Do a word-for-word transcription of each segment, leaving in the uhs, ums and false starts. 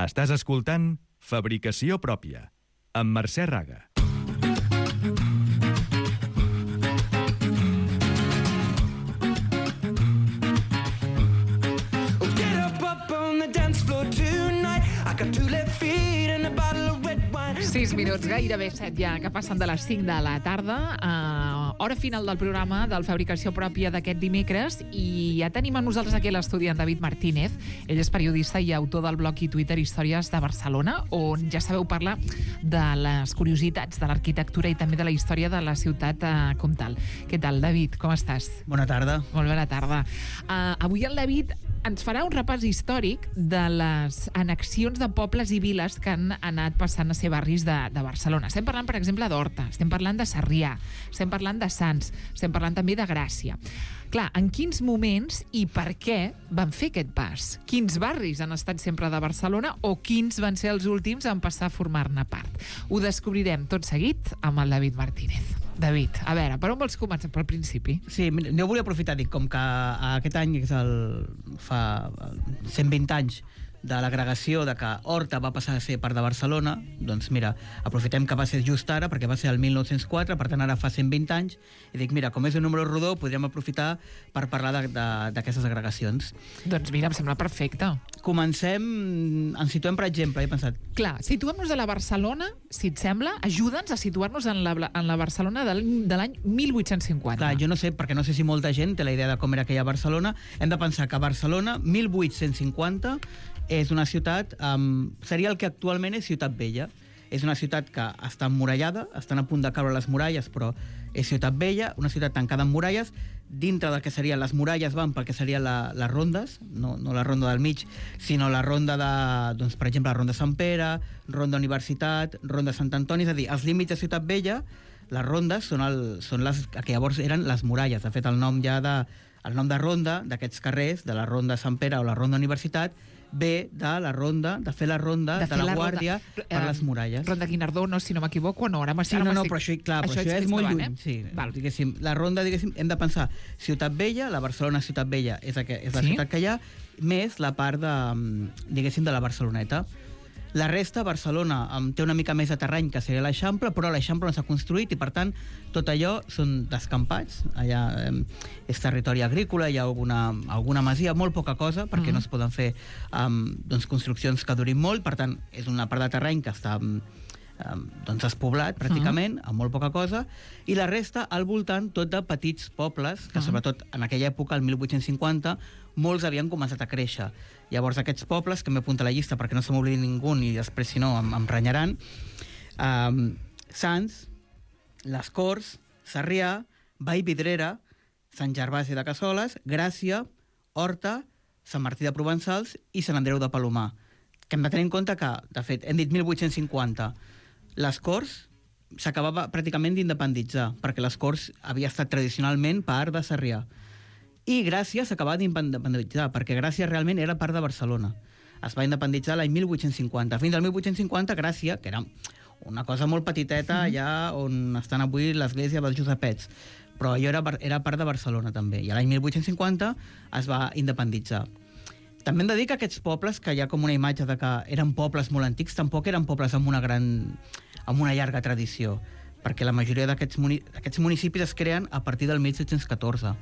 Estàs escoltant Fabricació Pròpia, amb Mercè Raga. sis minuts, gairebé set ja, que passen de les cinc de la tarda, uh, hora final del programa del Fabricació Pròpia d'aquest dimecres, i ja tenim a nosaltres aquí l'estudi en David Martínez. Ell és periodista i autor del blog i Twitter Històries de Barcelona, on ja sabeu parlar de les curiositats de l'arquitectura i també de la història de la ciutat uh, comtal. Què tal, David? Com estàs? Bona tarda. Molt bona tarda. Uh, avui el David ens farà un repàs històric de les annexions de pobles i viles que han anat passant a ser barris de, de Barcelona. Estem parlant, per exemple, d'Horta, estem parlant de Sarrià, estem parlant de Sants, estem parlant també de Gràcia. Clar, en quins moments i per què van fer aquest pas? Quins barris han estat sempre de Barcelona o quins van ser els últims en passar a formar-ne part? Ho descobrirem tot seguit amb el David Martínez. David, a veure, per on vols començar? Pel principi? Sí, jo volia aprofitar, dic, com que aquest any és el, fa cent vint anys de l'agregació de que Horta va passar a ser part de Barcelona, doncs mira, aprofitem que va ser just ara, perquè va ser el mil nou-cents quatre, per tant ara fa cent vint anys, i dic, mira, com és un número rodó, podríem aprofitar per parlar d'aquestes agregacions. Doncs mira, em sembla perfecte. Comencem, ens situem, per exemple, he pensat... Clar, situem-nos a la Barcelona, si et sembla, ajuda'ns a situar-nos en la, en la Barcelona de l'any mil vuit-cents cinquanta. Clar, jo no sé, perquè no sé si molta gent té la idea de com era aquella Barcelona. Hem de pensar que Barcelona, mil vuit-cents cinquanta, és una ciutat, um, seria el que actualment és Ciutat Vella. És una ciutat que està emmurallada, estan a punt de caure les muralles, però és Ciutat Vella, una ciutat tancada amb muralles. Dintre del que serien les muralles van pel que serien la, les rondes, no, no la ronda del mig, sinó la ronda de, doncs, per exemple, la ronda Sant Pere, ronda Universitat, ronda Sant Antoni, és a dir, els límits de Ciutat Vella, les rondes són, el, són les que llavors eren les muralles. De fet, el nom ja de, el nom de ronda d'aquests carrers, de la ronda Sant Pere o la ronda Universitat, ve de la ronda, de fer la ronda de, de la, la guàrdia ronda, per les muralles. Ronda Guinardó, no, si no m'equivoco, no, ara m'estic... Sí, no, no, però això, clar, però això, això és molt lluny. Eh? Sí, Val. Diguéssim, la ronda, diguéssim, hem de pensar Ciutat Vella, la Barcelona Ciutat Vella és, aqu és la sí? ciutat que hi ha, més la part de, diguéssim, de la Barceloneta. La resta, Barcelona, um, té una mica més de terreny que seria l'Eixample, però l'Eixample no s'ha construït i, per tant, tot allò són descampats. Allà um, és territori agrícola, hi ha alguna, alguna masia, molt poca cosa, perquè mm-hmm. no es poden fer um, doncs, construccions que durin molt. Per tant, és una part de terreny que està um, doncs despoblat, pràcticament, mm-hmm. amb molt poca cosa, i la resta al voltant tot de petits pobles, que mm-hmm. sobretot en aquella època, el mil vuit-cents cinquanta, molts havien començat a créixer. Llavors aquests pobles, que m'he apuntat a la llista perquè no se m'oblidi ningú i després si no em, em renyaran, um, Sants, Les Corts, Sarrià, Vallvidrera, Sant Gervasi de Cassoles, Gràcia, Horta, Sant Martí de Provençals i Sant Andreu de Palomar. Que hem de tenir en compte que, de fet, hem dit mil vuit-cents cinquanta, Les Corts s'acabava pràcticament d'independitzar, perquè Les Corts havia estat tradicionalment part de Sarrià. I Gràcia s'acabava d'independitzar, perquè Gràcia realment era part de Barcelona. Es va independitzar l'any mil vuit-cents cinquanta. Fins al mil vuit-cents cinquanta, Gràcia, que era una cosa molt petiteta, mm-hmm. allà on estan avui l'església dels Josepets, però allò era, era part de Barcelona també. I l'any mil vuit-cents cinquanta es va independitzar. També hem de dir que aquests pobles, que hi ha com una imatge de que eren pobles molt antics, tampoc eren pobles amb una gran, amb una llarga tradició, perquè la majoria d'aquests muni, municipis es creen a partir del mil set-cents catorze.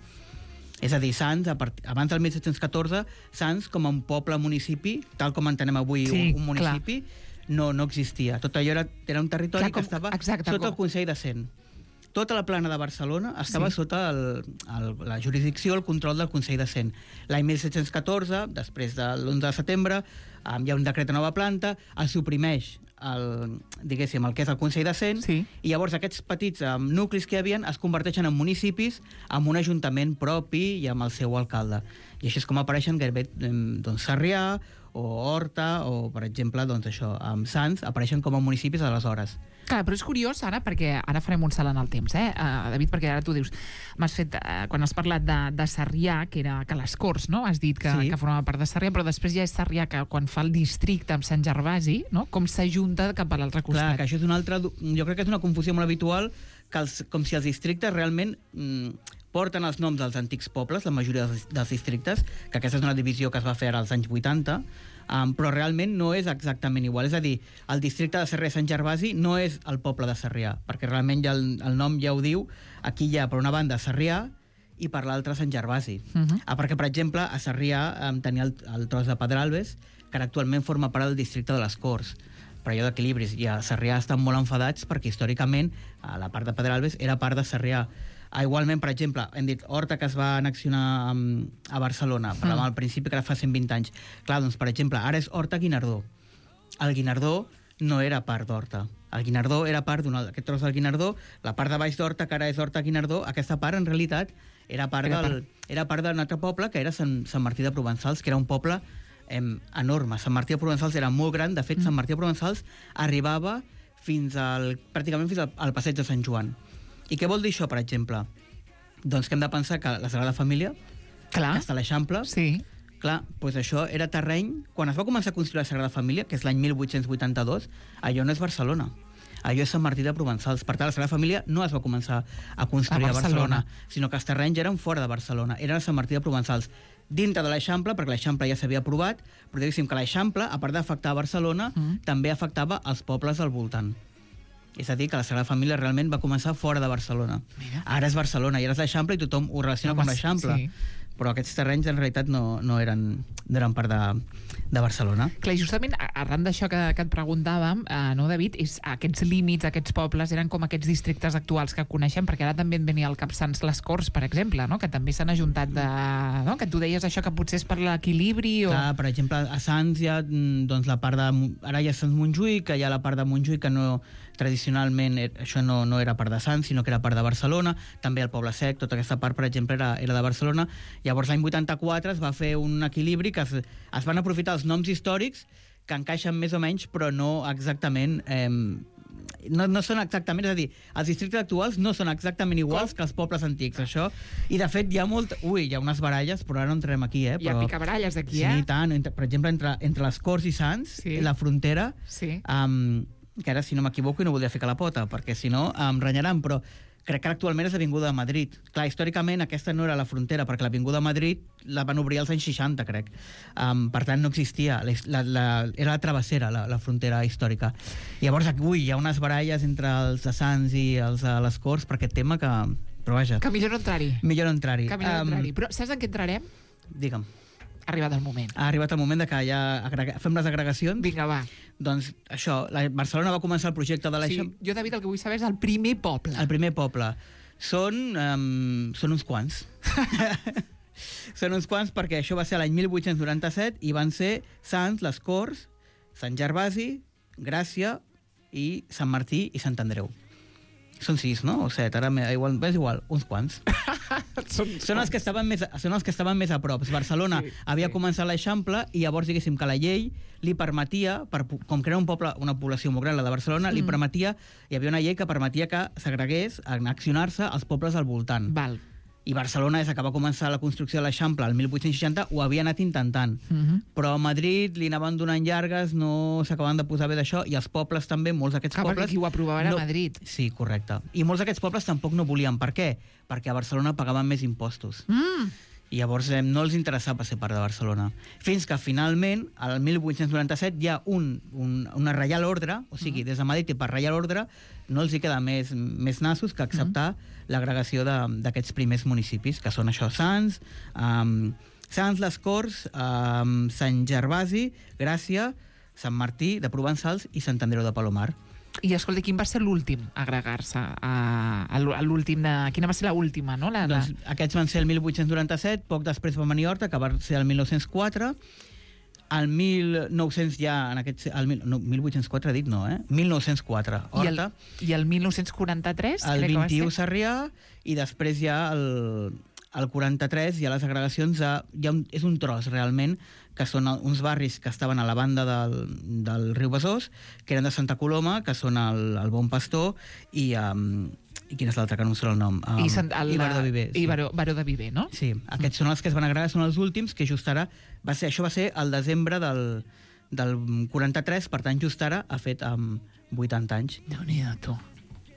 És a dir, Sants, a part... abans del mil set-cents catorze, Sants com a un poble-municipi, tal com entenem avui sí, un, un municipi, no, no existia. Tot allò era, era un territori clar, com, que estava exacte, sota com... el Consell de Cent. Tota la plana de Barcelona estava sí. sota el, el, la jurisdicció, el control del Consell de Cent. L'any mil set-cents catorze, després de l'onze de setembre, um, hi ha un decret de nova planta, es suprimeix el, diguéssim, el que és el Consell de Cent, sí. i llavors aquests petits um, nuclis que hi havia es converteixen en municipis amb un ajuntament propi i amb el seu alcalde. I així és com apareixen gairebé doncs, Sarrià o Horta o, per exemple, doncs això, amb Sants apareixen com a municipis aleshores. Clar, però és curiós ara, perquè ara farem un salt en el temps, eh, uh, David, perquè ara tu dius, m'has fet, uh, quan has parlat de, de Sarrià, que era que les Corts, no?, has dit que, sí. que formava part de Sarrià, però després ja és Sarrià que quan fa el districte amb Sant Gervasi, no?, com s'ajunta cap a l'altre costat. Clar, que això és una altra, jo crec que és una confusió molt habitual, que els, com si els districtes realment mm, porten els noms dels antics pobles, la majoria dels, dels districtes, que aquesta és una divisió que es va fer ara als anys vuitanta, Um, però realment no és exactament igual. És a dir, el districte de Sarrià-Sant Gervasi no és el poble de Sarrià, perquè realment ja el, el nom ja ho diu. Aquí hi ha, per una banda, Sarrià i per l'altra Sant Gervasi. Uh -huh. ah, perquè, per exemple, a Sarrià um, tenia el, el tros de Pedralbes, que ara actualment forma part del districte de les Corts, per allò d'equilibris. I a Sarrià estan molt enfadats perquè històricament a la part de Pedralbes era part de Sarrià. Ah, igualment, per exemple, hem dit Horta, que es va annexionar um, a Barcelona, parlàvem mm. al principi que era fa cent vint anys. Clar, doncs, per exemple, ara és Horta-Guinardó. El Guinardó no era part d'Horta. El Guinardó era part d'un aquest tros del Guinardó, la part de baix d'Horta, que ara és Horta-Guinardó, aquesta part, en realitat, era part era del, part. era part d'un altre poble, que era Sant, Sant Martí de Provençals, que era un poble eh, enorme. Sant Martí de Provençals era molt gran. De fet, mm. Sant Martí de Provençals arribava fins al, pràcticament fins al, al passeig de Sant Joan. I què vol dir això, per exemple? Doncs que hem de pensar que la Sagrada Família, clar, que està a l'Eixample, sí. clar, doncs això era terreny... Quan es va començar a construir la Sagrada Família, que és l'any mil vuit-cents vuitanta-dos, allò no és Barcelona. Allò és Sant Martí de Provençals. Per tant, la Sagrada Família no es va començar a construir a Barcelona, a Barcelona sinó que els terrenys eren fora de Barcelona, eren a Sant Martí de Provençals, dintre de l'Eixample, perquè l'Eixample ja s'havia aprovat, però diguéssim que l'Eixample, a part d'afectar a Barcelona, mm. també afectava els pobles al voltant. És a dir, que la Sagrada Família realment va començar fora de Barcelona. Mira. Ara és Barcelona, i ara és l'Eixample i tothom ho relaciona no, amb l'Eixample. Sí. Però aquests terrenys en realitat no, no, eren, no eren part de, de Barcelona. Clar, i justament arran d'això que, que et preguntàvem, eh, no, David, és aquests límits, aquests pobles, eren com aquests districtes actuals que coneixem, perquè ara també en venia el Cap Sants les Corts, per exemple, no? Que també s'han ajuntat de... No? Que tu deies això, que potser és per l'equilibri o... Clar, per exemple, a Sants hi ha doncs, la part de... Ara hi ha Sants Montjuïc, que hi ha la part de Montjuïc que no... Tradicionalment això no, no era part de Sants, sinó que era part de Barcelona. També el Poble Sec, tota aquesta part, per exemple, era, era de Barcelona. Llavors, l'any vuitanta-quatre es va fer un equilibri que es, es van aprofitar els noms històrics que encaixen més o menys, però no exactament... Eh, no, no són exactament... És a dir, els districtes actuals no són exactament iguals Com? que els pobles antics, això. I, de fet, hi ha molt... Ui, hi ha unes baralles, però ara no entrem aquí, eh? Però... Hi ha picabaralles aquí, sí, eh? Sí, tant. Entre, per exemple, entre, entre les Corts i Sants, sí. la frontera... Sí. Um, que ara, si no m'equivoco, i no voldria ficar la pota, perquè si no em renyaran, però crec que actualment és l'Avinguda de Madrid. Clar, històricament aquesta no era la frontera, perquè l'Avinguda de Madrid la van obrir als anys seixanta, crec. Um, per tant, no existia. La, la, era la travessera, la, la frontera històrica. I llavors, ui, hi ha unes baralles entre els de Sants i els de les Corts per aquest tema que... Però vaja. Que millor no entrar-hi. Millor no entrar-hi. Que millor no entrar-hi. Um, Però saps en què entrarem? Digue'm. Ha arribat el moment. Ha arribat el moment de que ja agrega... fem les agregacions. Vinga, va. Doncs això, la Barcelona va començar el projecte de l'Eixample... Sí, jo, David, el que vull saber és el primer poble. El primer poble. Són, um, són uns quants. Són uns quants perquè això va ser l'any mil vuit-cents noranta-set i van ser Sants, les Corts, Sant Gervasi, Gràcia i Sant Martí i Sant Andreu. Són sis, no? O set, ara igual, és igual, uns quants. són, són, els que estaven més, són els que estaven més a prop. Barcelona sí, havia sí. començat l'Eixample i llavors, diguéssim, que la llei li permetia, per, com que era un poble, una població molt gran, la de Barcelona, mm. li permetia, hi havia una llei que permetia que s'agregués, annexionar-se als pobles al voltant. Val. I Barcelona, des que va començar la construcció de l'Eixample el mil vuit-cents seixanta, ho havia anat intentant. Uh-huh. Però a Madrid li anaven donant llargues, no s'acabaven de posar bé d'això, i els pobles també, molts d'aquests Clar, pobles... Perquè qui ho aprovava era no... Madrid. Sí, correcte. I molts d'aquests pobles tampoc no volien. Per què? Perquè a Barcelona pagaven més impostos. Mm. I llavors eh, no els interessava ser part de Barcelona. Fins que finalment, al mil vuit-cents noranta-set, hi ha un, un, una reial ordre, o sigui, mm. des de Madrid i per reial ordre, no els hi queda més, més nassos que acceptar mm. l'agregació d'aquests primers municipis, que són això, Sants, um, Sants, les Corts, um, Sant Gervasi, Gràcia, Sant Martí de Provençals i Sant Andreu de Palomar. I escolta, quin va ser l'últim a agregar-se? A, a l'últim de... Quina va ser l'última, no? La, la... Doncs aquests van ser el mil vuit-cents noranta-set, poc després va venir Horta, que va ser el mil nou-cents quatre. El mil nou-cents ja, en aquest... El, no, mil vuit-cents quatre he dit, no, eh? mil nou-cents quatre, Horta. I el, i el mil nou-cents quaranta-tres? El vint-i-u Sarrià, i després ja el, el quaranta-tres hi ha les agregacions de... Hi ha un, és un tros, realment, que són uns barris que estaven a la banda del, del riu Besòs, que eren de Santa Coloma, que són el, el Bon Pastor, i, um, i quin és l'altre, que no em surt el nom? Um, I, Sant, el, I Baró de Viver. I Baró, Baró de Viver, no? Sí, aquests mm. són els que es van agregar, són els últims, que just ara... Va ser, això va ser el desembre del, del quaranta-tres, per tant, just ara ha fet um, vuitanta anys. Déu-n'hi-do, tu.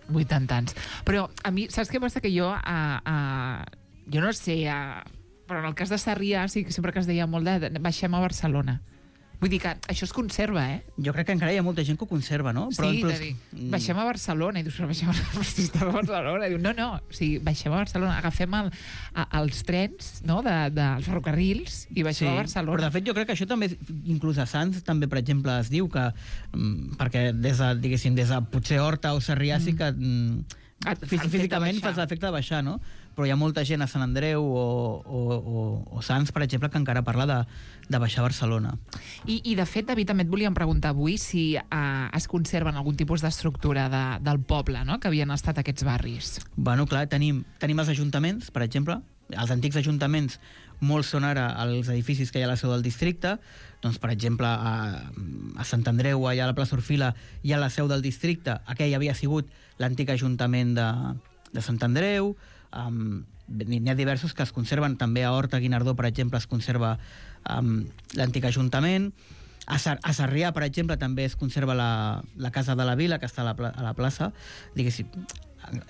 vuitanta anys. Però a mi, saps què passa? Que jo, a, a, jo no sé... A, però en el cas de Sarrià, sí que sempre que es deia molt de baixem a Barcelona. Vull dir que això es conserva, eh? Jo crec que encara hi ha molta gent que ho conserva, no? Però, sí, de dir, baixem a Barcelona, i dius, però baixem a Barcelona, i diu, no, no, o sigui, baixem a Barcelona, agafem el, a, els trens, no?, dels de, de ferrocarrils, i baixem sí, a Barcelona. Però, de fet, jo crec que això també, inclús a Sants, també, per exemple, es diu que, perquè des de, diguéssim, des de potser Horta o Sarrià sí que físicament fas l'efecte de baixar, no? Però hi ha molta gent a Sant Andreu o, o, o, o Sants, per exemple, que encara parla de, de baixar a Barcelona. I, I, de fet, David, també et volíem preguntar avui si eh, es conserven algun tipus d'estructura de, del poble, no?, que havien estat aquests barris. Bueno, clar, tenim, tenim els ajuntaments, per exemple. Els antics ajuntaments, molts són ara els edificis que hi ha a la seu del districte. Doncs, per exemple, a, a Sant Andreu, allà a la plaça Orfila, hi ha la seu del districte. Aquell havia sigut l'antic ajuntament de, de Sant Andreu. Um, n'hi ha diversos que es conserven. També a Horta Guinardó, per exemple, es conserva um, l'antic ajuntament. A, Sar a Sarrià, per exemple, també es conserva la, la Casa de la Vila, que està a la, pla a la plaça. Diguéssim,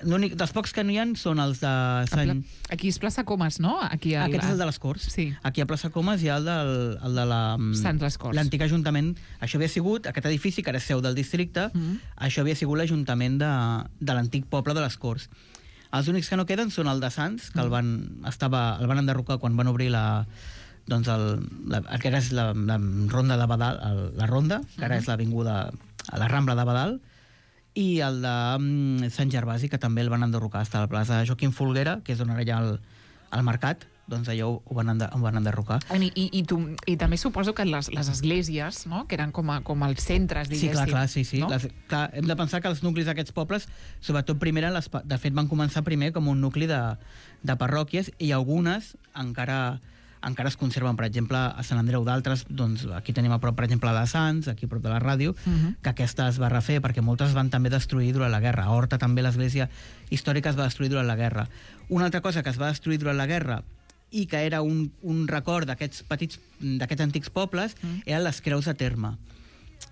l'únic dels pocs que no hi ha són els de Sant... Aquí és plaça Comas, no? Aquí el... Aquest és el de les Corts. Sí. Aquí a plaça Comas hi ha el, del, el de la... Sant les Corts. L'antic ajuntament. Això havia sigut, aquest edifici, que era seu del districte, mm -hmm. això havia sigut l'ajuntament de, de l'antic poble de les Corts. Els únics que no queden són el de Sants, que el van, estava, el van enderrocar quan van obrir la... doncs el, la, que ara és la, la ronda de Badal, el, la ronda, que ara és l'avinguda, la Rambla de Badal, i el de um, Sant Gervasi, que també el van enderrocar, està a la plaça Joaquim Folguera, que és on ara hi ha el, el mercat, doncs allò ho van, ender, ho van enderrocar. I, i, i, tu, i també suposo que les, les esglésies, no?, que eren com, a, com els centres, diguéssim. Sí, clar, clar, sí, sí. No? Les, clar, hem de pensar que els nuclis d'aquests pobles, sobretot primer, les, de fet, van començar primer com un nucli de, de parròquies, i algunes encara... encara es conserven, per exemple, a Sant Andreu. D'altres, doncs, aquí tenim a prop, per exemple, la de Sants, aquí a prop de la ràdio, uh -huh. que aquesta es va refer, perquè moltes van també destruir durant la guerra. A Horta també l'església històrica es va destruir durant la guerra. Una altra cosa que es va destruir durant la guerra i que era un, un record d'aquests petits, d'aquests antics pobles, uh -huh. eren les creus de terme,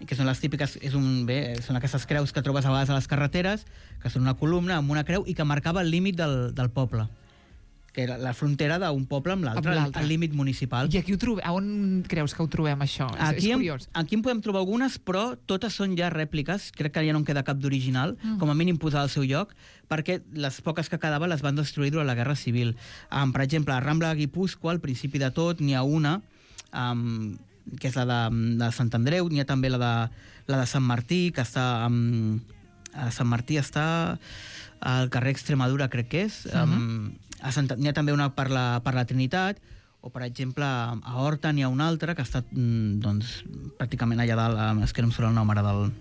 que són les típiques, és un, bé, són aquestes creus que trobes a vegades a les carreteres, que són una columna amb una creu i que marcava el límit del, del poble, que era la frontera d'un poble amb l'altre, el límit municipal. I aquí ho trobem, on creus que ho trobem, això? Aquí, és curiós. En, aquí en podem trobar algunes, però totes són ja rèpliques. Crec que ja no en queda cap d'original, mm. com a mínim posar al seu lloc, perquè les poques que quedaven les van destruir durant la Guerra Civil. Um, per exemple, a Rambla de Guipúscoa, al principi de tot, n'hi ha una, um, que és la de, de Sant Andreu, n'hi ha també la de, la de Sant Martí, que està... Um, a Sant Martí està al carrer Extremadura, crec que és. Uh -huh. um, a Sant, n'hi ha també una per la, per la Trinitat, o, per exemple, a Horta n'hi ha una altra que està, doncs, pràcticament allà dalt, és que no em surt el nom ara, del,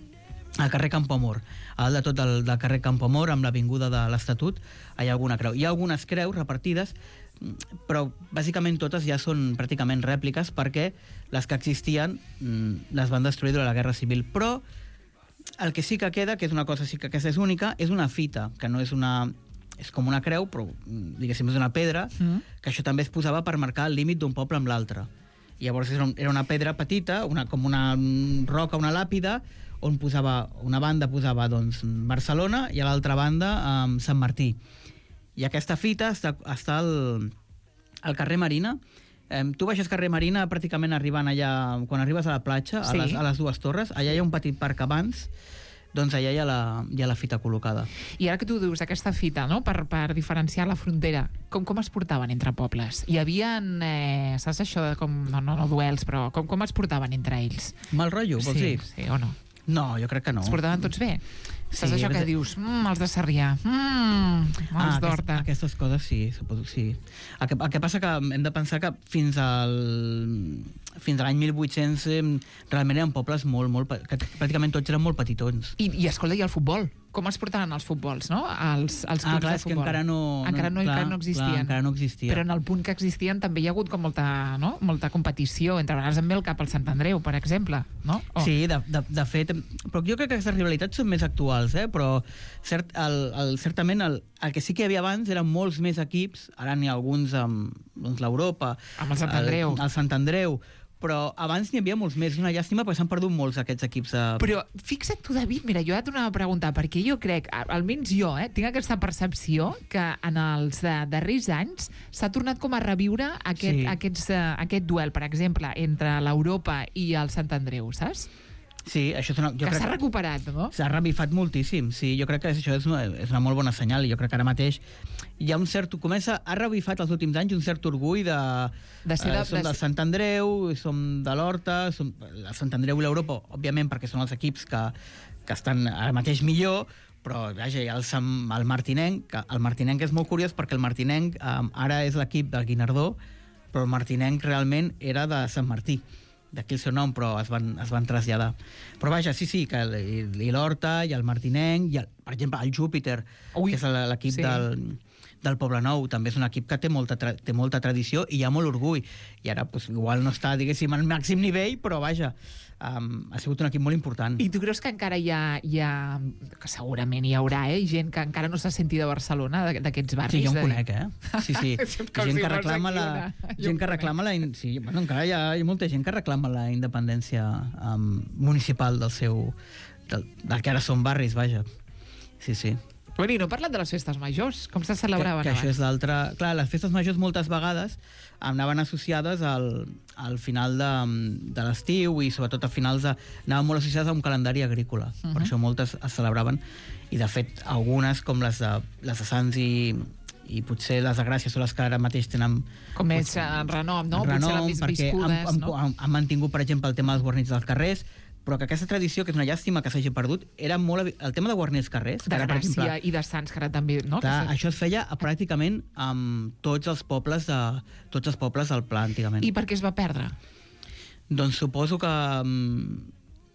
al carrer Campoamor. A dalt de tot el del carrer Campoamor, amb l'avinguda de l'Estatut, hi ha alguna creu. Hi ha algunes creus repartides, però bàsicament totes ja són pràcticament rèpliques, perquè les que existien les van destruir durant la Guerra Civil. Però el que sí que queda, que és una cosa sí que aquesta és única, és una fita, que no és una... és com una creu, però, diguéssim, és una pedra, mm. que això també es posava per marcar el límit d'un poble amb l'altre. I llavors era una pedra petita, una, com una roca, una làpida, on posava, una banda posava, doncs, Barcelona, i a l'altra banda, um, Sant Martí. I aquesta fita està, està al, al carrer Marina. Um, tu baixes carrer Marina, pràcticament arribant allà, quan arribes a la platja, sí. a, les, a les dues torres, allà hi ha un petit parc abans, doncs allà hi ha, la, hi ha la fita col·locada. I ara que tu dius aquesta fita, no?, per, per diferenciar la frontera, com, com es portaven entre pobles? Hi havia, eh, saps això de com, no, no, no duels, però com, com es portaven entre ells? Mal rotllo, vols sí, dir? Sí, o no? No, jo crec que no. Es portaven tots bé? Saps sí, això que dius, mmm, els de Sarrià, mmm, els ah, d'Horta. Aquest, aquestes coses sí, suposo, sí. El que, el que passa que hem de pensar que fins al fins a l'any mil vuit-cents realment eren pobles molt, molt, que pràcticament tots eren molt petitons. I, i escolta, i el futbol? Com es portaven els futbols, no? Els, els clubs ah, clar, de futbol. Que encara no, encara no, clar, encara no existien. Clar, encara no existia. Però en el punt que existien també hi ha hagut com molta, no? molta competició. Entre vegades em ve el cap al Sant Andreu, per exemple. No? Oh. Sí, de, de, de fet... Però jo crec que aquestes rivalitats són més actuals, eh? Però cert, el, el, certament el, el que sí que hi havia abans eren molts més equips. Ara n'hi ha alguns amb doncs, l'Europa, amb el Sant Andreu. El, el Sant Andreu, però abans n'hi havia molts més. És una llàstima perquè s'han perdut molts aquests equips. De... Però fixa't tu, David, mira, jo ja t'ho anava a preguntar, perquè jo crec, almenys jo, eh, tinc aquesta percepció que en els uh, darrers anys s'ha tornat com a reviure aquest, Sí. aquests, uh, aquest duel, per exemple, entre l'Europa i el Sant Andreu, saps? Sí, això és una... Jo Que crec s'ha recuperat, no? S'ha revifat moltíssim, sí. Jo crec que això és una, és una molt bona senyal i jo crec que ara mateix hi ha un cert... Comença, ha revifat els últims anys un cert orgull de... De ser de- eh, som de- del Sant Andreu, som de l'Horta, som el Sant Andreu i l'Europa, òbviament perquè són els equips que, que estan ara mateix millor, però vaja, hi ha el, Sant, el Martinenc, que el Martinenc és molt curiós perquè el Martinenc eh, ara és l'equip del Guinardó, però el Martinenc realment era de Sant Martí, d'aquí el seu nom, però es van, es van traslladar. Però vaja, sí, sí, que el- i, i l'Horta, i el Martinenc, i el, per exemple, el Júpiter, Ui, que és el- l'equip sí. sí. del, del Poblenou, també és un equip que té molta, tra té molta tradició i hi ha molt orgull. I ara, pues, igual no està, diguéssim, al màxim nivell, però vaja, um, ha sigut un equip molt important. I tu creus que encara hi ha, hi ha que segurament hi haurà, eh, gent que encara no s'ha sentit de Barcelona, de- d'aquests barris? Sí, jo en de dir- conec, eh? Sí, sí. Com gent si que fos reclama aquí la... una- jo Gent en que conec. reclama la... in- Sí, bueno, encara hi ha, hi ha molta gent que reclama la independència um, municipal del seu... Del, del que ara són barris, vaja. Sí, sí. Bueno, i no parlat de les festes majors, com se celebraven que, que això abans? és l'altre... Clar, les festes majors moltes vegades anaven associades al, al final de, de l'estiu i sobretot a finals de... anaven molt associades a un calendari agrícola. Uh -huh. Per això moltes es celebraven i de fet algunes com les de, les de Sants i, i potser les de Gràcia són les que ara mateix tenen... Com és en renom, no? Potser renom, les més perquè viscudes, han, han, no? han, han mantingut, per exemple, el tema dels guarnits dels carrers, però que aquesta tradició, que és una llàstima que s'hagi perdut, era molt... evi- El tema de guarnir els carrers... De que ara, per Gràcia exemple, i de Sants, que ara també, no? clar, Que això es feia a, pràcticament amb tots els pobles de, tots els pobles del Pla, antigament. I per què es va perdre? Doncs suposo que um,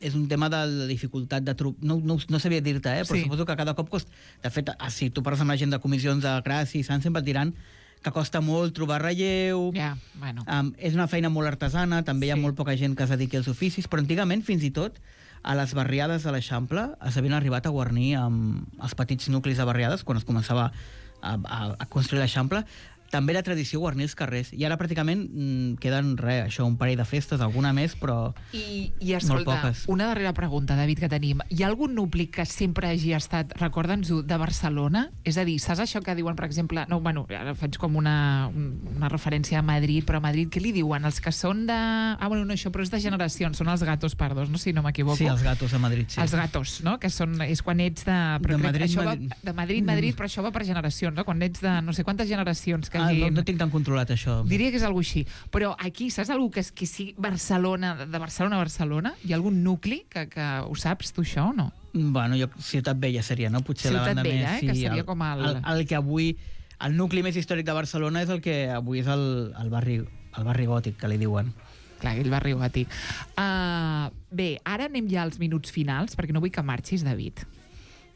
és un tema de la dificultat de trobar... No, no, no sabia dir-te, eh? Però Sí. sí. Suposo que cada cop costa... De fet, ah, si tu parles amb la gent de comissions de Gràcia i Sant, sempre et diran que costa molt trobar relleu... Ja, bueno. Um, és una feina molt artesana, també hi ha Sí. molt poca gent que es dediqui als oficis, però antigament, fins i tot, a les barriades de l'Eixample s'havien arribat a guarnir amb els petits nuclis de barriades, quan es començava a, a, a construir l'Eixample. També era tradició guarnir els carrers. I ara pràcticament mm, queden, res, això, un parell de festes, alguna més, però... I, i Molt escolta, poques. una darrera pregunta, David, que tenim. Hi ha algun nucli que sempre hagi estat, recorda'ns-ho, de Barcelona? És a dir, saps això que diuen, per exemple... No, bueno, ara faig com una, una referència a Madrid, però a Madrid què li diuen? Els que són de... Ah, bueno, no, això, però és de generacions, són els gatos pardos, no? Si no m'equivoco. Sí, els gatos a Madrid, sí. Els gatos, no? Que són, és quan ets de... Però De crec que Madrid, això Madrid. Va, de Madrid, Madrid, però això va per generacions, no? Quan ets de no sé quantes generacions que Ah, hagin... no, no tinc tan controlat, això. Diria que és alguna així. Però aquí, saps algú que, és, que sigui Barcelona, de Barcelona a Barcelona? Hi ha algun nucli que, que ho saps, tu, això, o no? Bueno, jo, Ciutat Vella seria, no? Potser la Ciutat banda Vella, més... eh? Que seria com el- el... El que avui... El nucli més històric de Barcelona és el que avui és el, el, barri, el barri gòtic, que li diuen. Clar, aquell barri gòtic. Uh, bé, ara anem ja als minuts finals, perquè no vull que marxis, David.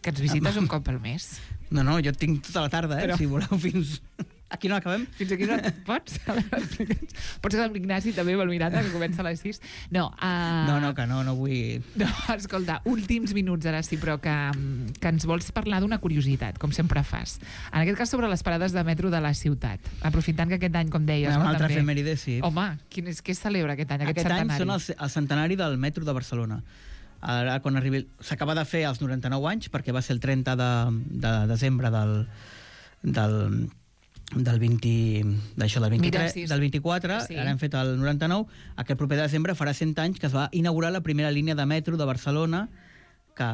Que ens visites un cop al mes. No, no, jo tinc tota la tarda, eh? Però- Si voleu, fins... Aquí no acabem? Fins aquí no pots? A veure, explica'ns. Pots ser amb l'Ignasi també, amb el Miranda, que comença a les sis. No, uh... No, no, que no, no vull... No, escolta, últims minuts ara sí, però que, que ens vols parlar d'una curiositat, com sempre fas. En aquest cas sobre les parades de metro de la ciutat. Aprofitant que aquest any, com deies... Una no, altra també... efemèride, sí. Home, quin és, què es celebra aquest any, aquest, Aquest any centenari? són el, el centenari del metro de Barcelona. Ara, quan arribi... S'acaba de fer als noranta-nou anys, perquè va ser el trenta de, de desembre del... del del vint, d'això, del vint-i-tres, Mira, sí, sí. del vint-i-quatre, Sí. ara hem fet el noranta-nou, aquest proper desembre farà cent anys que es va inaugurar la primera línia de metro de Barcelona, que,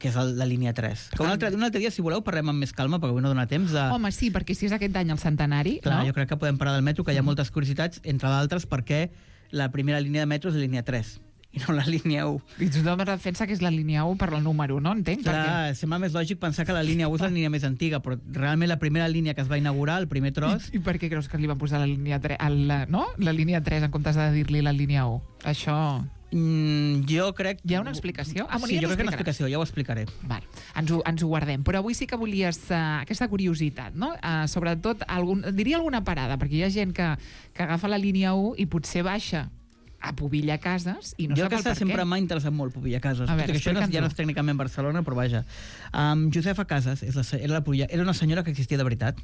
que és el, la línia tres. Que un altre, un altre dia, si voleu, parlem amb més calma, perquè avui no dona temps de... Home, sí, perquè si és aquest any el centenari, Clar, no? jo crec que podem parlar del metro, que hi ha moltes curiositats, entre d'altres perquè la primera línia de metro és la línia tres, i no la línia u. I tothom es defensa que és la línia u per el número, no? Entenc? Clar, sembla més lògic pensar que la línia u és la línia més antiga, però realment la primera línia que es va inaugurar, el primer tros... I, I per què creus que li van posar la línia tres, el, no? La línia tres en comptes de dir-li la línia u? Això... Mm, jo crec... Hi ha una explicació? Ah, bueno, sí, ja jo ens crec que hi ha una explicaràs. explicació, ja ho explicaré. Vale, ens ho, ens ho guardem. Però avui sí que volies uh, aquesta curiositat, no? Uh, sobretot, algun, diria alguna parada, perquè hi ha gent que, que agafa la línia u i potser baixa a Pobilla Cases i no jo sap el aquesta per sempre què. m'ha interessat molt, Pobilla Cases. A veure, Tot i que això no, explica'ns-ho. ja no és tècnicament Barcelona, però vaja. Um, Josefa Casas és la, se- era, la, Pobilla- era una senyora que existia de veritat.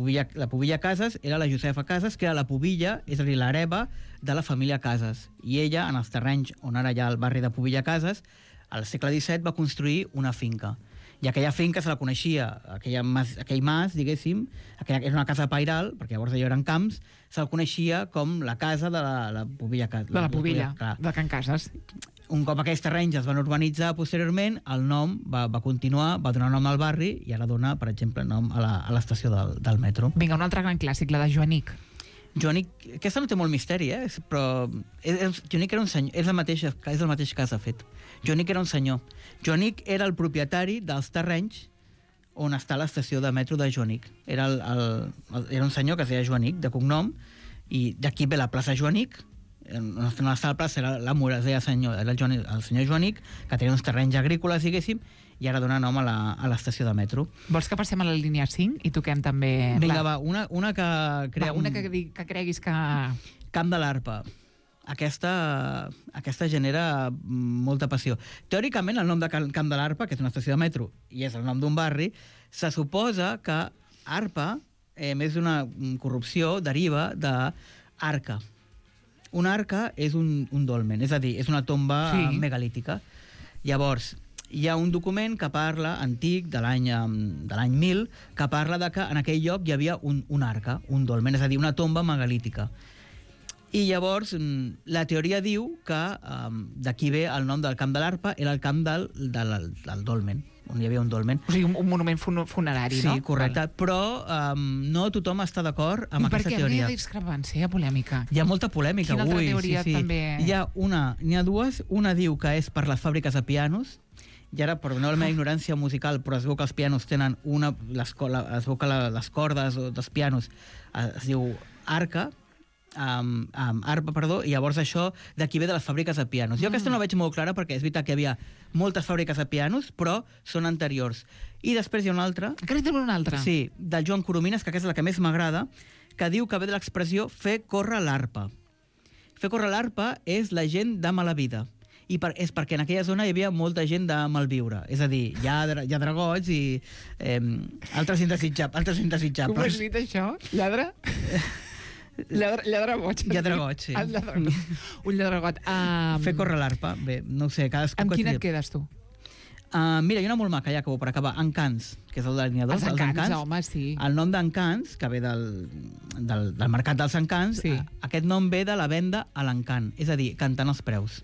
pubilla, la pubilla Casas era la Josefa Casas, que era la pubilla, és a dir, l'hereva de la família Casas. I ella, en els terrenys on ara hi ha el barri de Pubilla Casas, al segle disset va construir una finca. I aquella finca se la coneixia, aquella mas, aquell mas, diguéssim, aquella, era una casa pairal, perquè llavors allò eren camps, se'l coneixia com la casa de la, la Pubilla Casas. De la Pubilla, de Can Casas. Un cop aquells terrenys es van urbanitzar posteriorment, el nom va, va continuar, va donar nom al barri i ara dona, per exemple, nom a l'estació del, del metro. Vinga, un altre gran clàssic, la de Joanic. Joanic, aquesta no té molt misteri, eh? Però és, Joanic era un senyor, és el mateix, és el mateix cas, de fet. Joanic era un senyor. Joanic era el propietari dels terrenys on està l'estació de metro de Joanic. Era, el, el, el, era un senyor que es deia Joanic, de cognom, i d'aquí ve la plaça Joanic. On està la plaça era la mura, es deia senyor, era el, Joanic, el senyor Joanic, que tenia uns terrenys agrícoles, diguéssim, i ara dona nom a l'estació de metro. Vols que passem a la línia cinc i toquem també... Vinga, va, una, una que crea va, una un... que, que creguis que... Camp de l'Arpa. Aquesta, aquesta genera molta passió. Teòricament, el nom de Camp de l'Arpa, que és una estació de metro, i és el nom d'un barri, se suposa que Arpa, eh, més d'una corrupció, deriva d'arca. Una arca és un, un dolmen, és a dir, és una tomba sí. megalítica. Llavors, hi ha un document que parla, antic, de l'any de l'any mil, que parla de que en aquell lloc hi havia un, un arca, un dolmen, és a dir, una tomba megalítica. I llavors, la teoria diu que um, d'aquí ve el nom del Camp de l'Arpa, era el camp del, del, del dolmen, on hi havia un dolmen. O sigui, un, un monument fun funerari, sí, no? Sí, correcte, vale. Però um, no tothom està d'acord amb I aquesta per què? teoria. Hi ha discrepància, hi ha polèmica. Hi ha molta polèmica, Quina ui. altra teoria sí, sí. també? Hi ha una, n'hi ha dues. Una diu que és per les fàbriques de pianos, i ara, perdoneu la meva ignorància musical, però es veu que els pianos tenen una... Les, es veu que la, les cordes dels pianos es diu arca, Um, um, arpa, perdó, i llavors això d'aquí ve de les fàbriques de pianos. Jo mm. aquesta no la veig molt clara perquè és veritat que hi havia moltes fàbriques de pianos, però són anteriors. I després hi ha una altra... Encara hi tenim una altra? Sí, del Joan Coromines, que aquesta és la que més m'agrada, que diu que ve de l'expressió fer córrer l'arpa. Fer córrer l'arpa és la gent de mala vida. I per, és perquè en aquella zona hi havia molta gent de malviure. És a dir, hi ha, hi ha dragots i eh, altres indesitjables. Altres indesitjables. Com ho has dit, això? Lladre? Lladre, lladre boig. Lladre boig, sí. Lladre, un lladregot. Um, Fer córrer l'arpa. Bé, no ho sé, cadascú... Amb quina et quedes, tu? Uh, mira, hi ha una molt maca, ja acabo per acabar. Encants, que és el de la línia dos. Els Encants, Encants, home, sí. El nom d'Encants, que ve del, del, del mercat dels Encants, sí. Aquest nom ve de la venda a l'encant, és a dir, cantant els preus.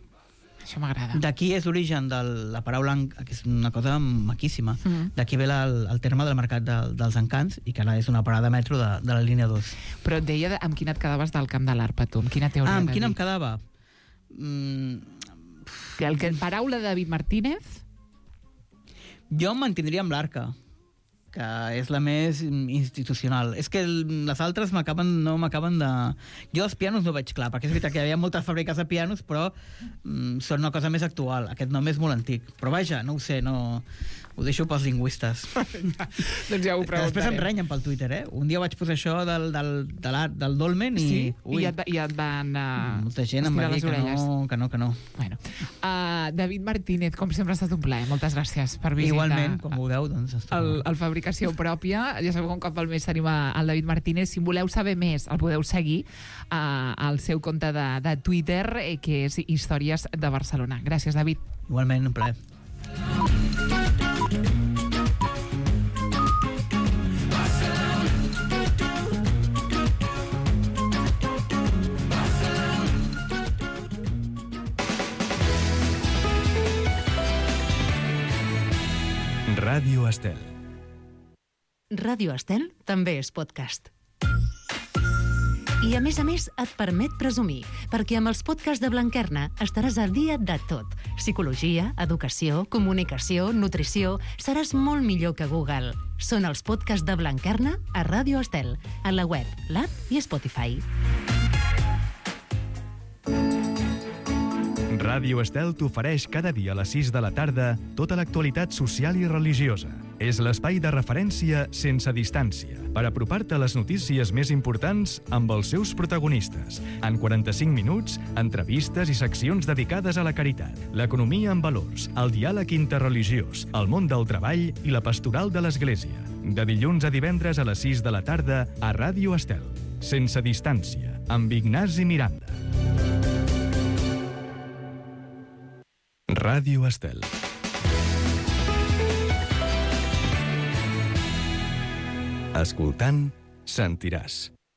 Això m'agrada. D'aquí és l'origen de la paraula, que és una cosa maquíssima. Mm -hmm. D'aquí ve el, el terme del mercat de, dels encants, i que ara és una parada de metro de, de la línia dos. Però et deia de, amb quina et quedaves del Camp de l'Arpa, tu? Amb quina teoria? Ah, amb quina em quedava? Mm... El que, paraula de David Martínez? Jo em mantindria amb l'Arca, que és la més institucional. És que les altres m'acaben no m'acaben de... Jo els pianos no veig clar, perquè és veritat que hi havia moltes fàbriques de pianos, però mm, són una cosa més actual. Aquest nom és molt antic. Però vaja, no ho sé, no... Ho deixo pels lingüistes. Doncs ja ho preguntarem. Després em renyen pel Twitter, eh? Un dia vaig posar això del, del, de l'art, del dolmen i... Sí? Ui, I ja et, ja et van... Uh, molta gent em va dir que no, que no, que no. Bueno. Uh, David Martínez, com sempre ha estat un plaer. Moltes gràcies per visitar... Igualment, com vulgueu, doncs... El, el Fabricació Pròpia. Ja sabeu que un cop al mes tenim el David Martínez. Si voleu saber més, el podeu seguir uh, al seu compte de, de Twitter, eh, que és Històries de Barcelona. Gràcies, David. Igualment, un plaer. Ràdio Estel. Ràdio Estel també és podcast. I a més a més et permet presumir, perquè amb els podcasts de Blanquerna estaràs al dia de tot. Psicologia, educació, comunicació, nutrició... Seràs molt millor que Google. Són els podcasts de Blanquerna a Ràdio Estel, a la web, l'app i Spotify. Ràdio Estel t'ofereix cada dia a les sis de la tarda tota l'actualitat social i religiosa. És l'espai de referència sense distància, per apropar-te a les notícies més importants amb els seus protagonistes. En quaranta-cinc minuts, entrevistes i seccions dedicades a la caritat, l'economia en valors, el diàleg interreligiós, el món del treball i la pastoral de l'Església. de dilluns a divendres a les sis de la tarda a Ràdio Estel. Sense distància, amb Ignasi Miranda. Ràdio Estel. Escoltant, sentiràs.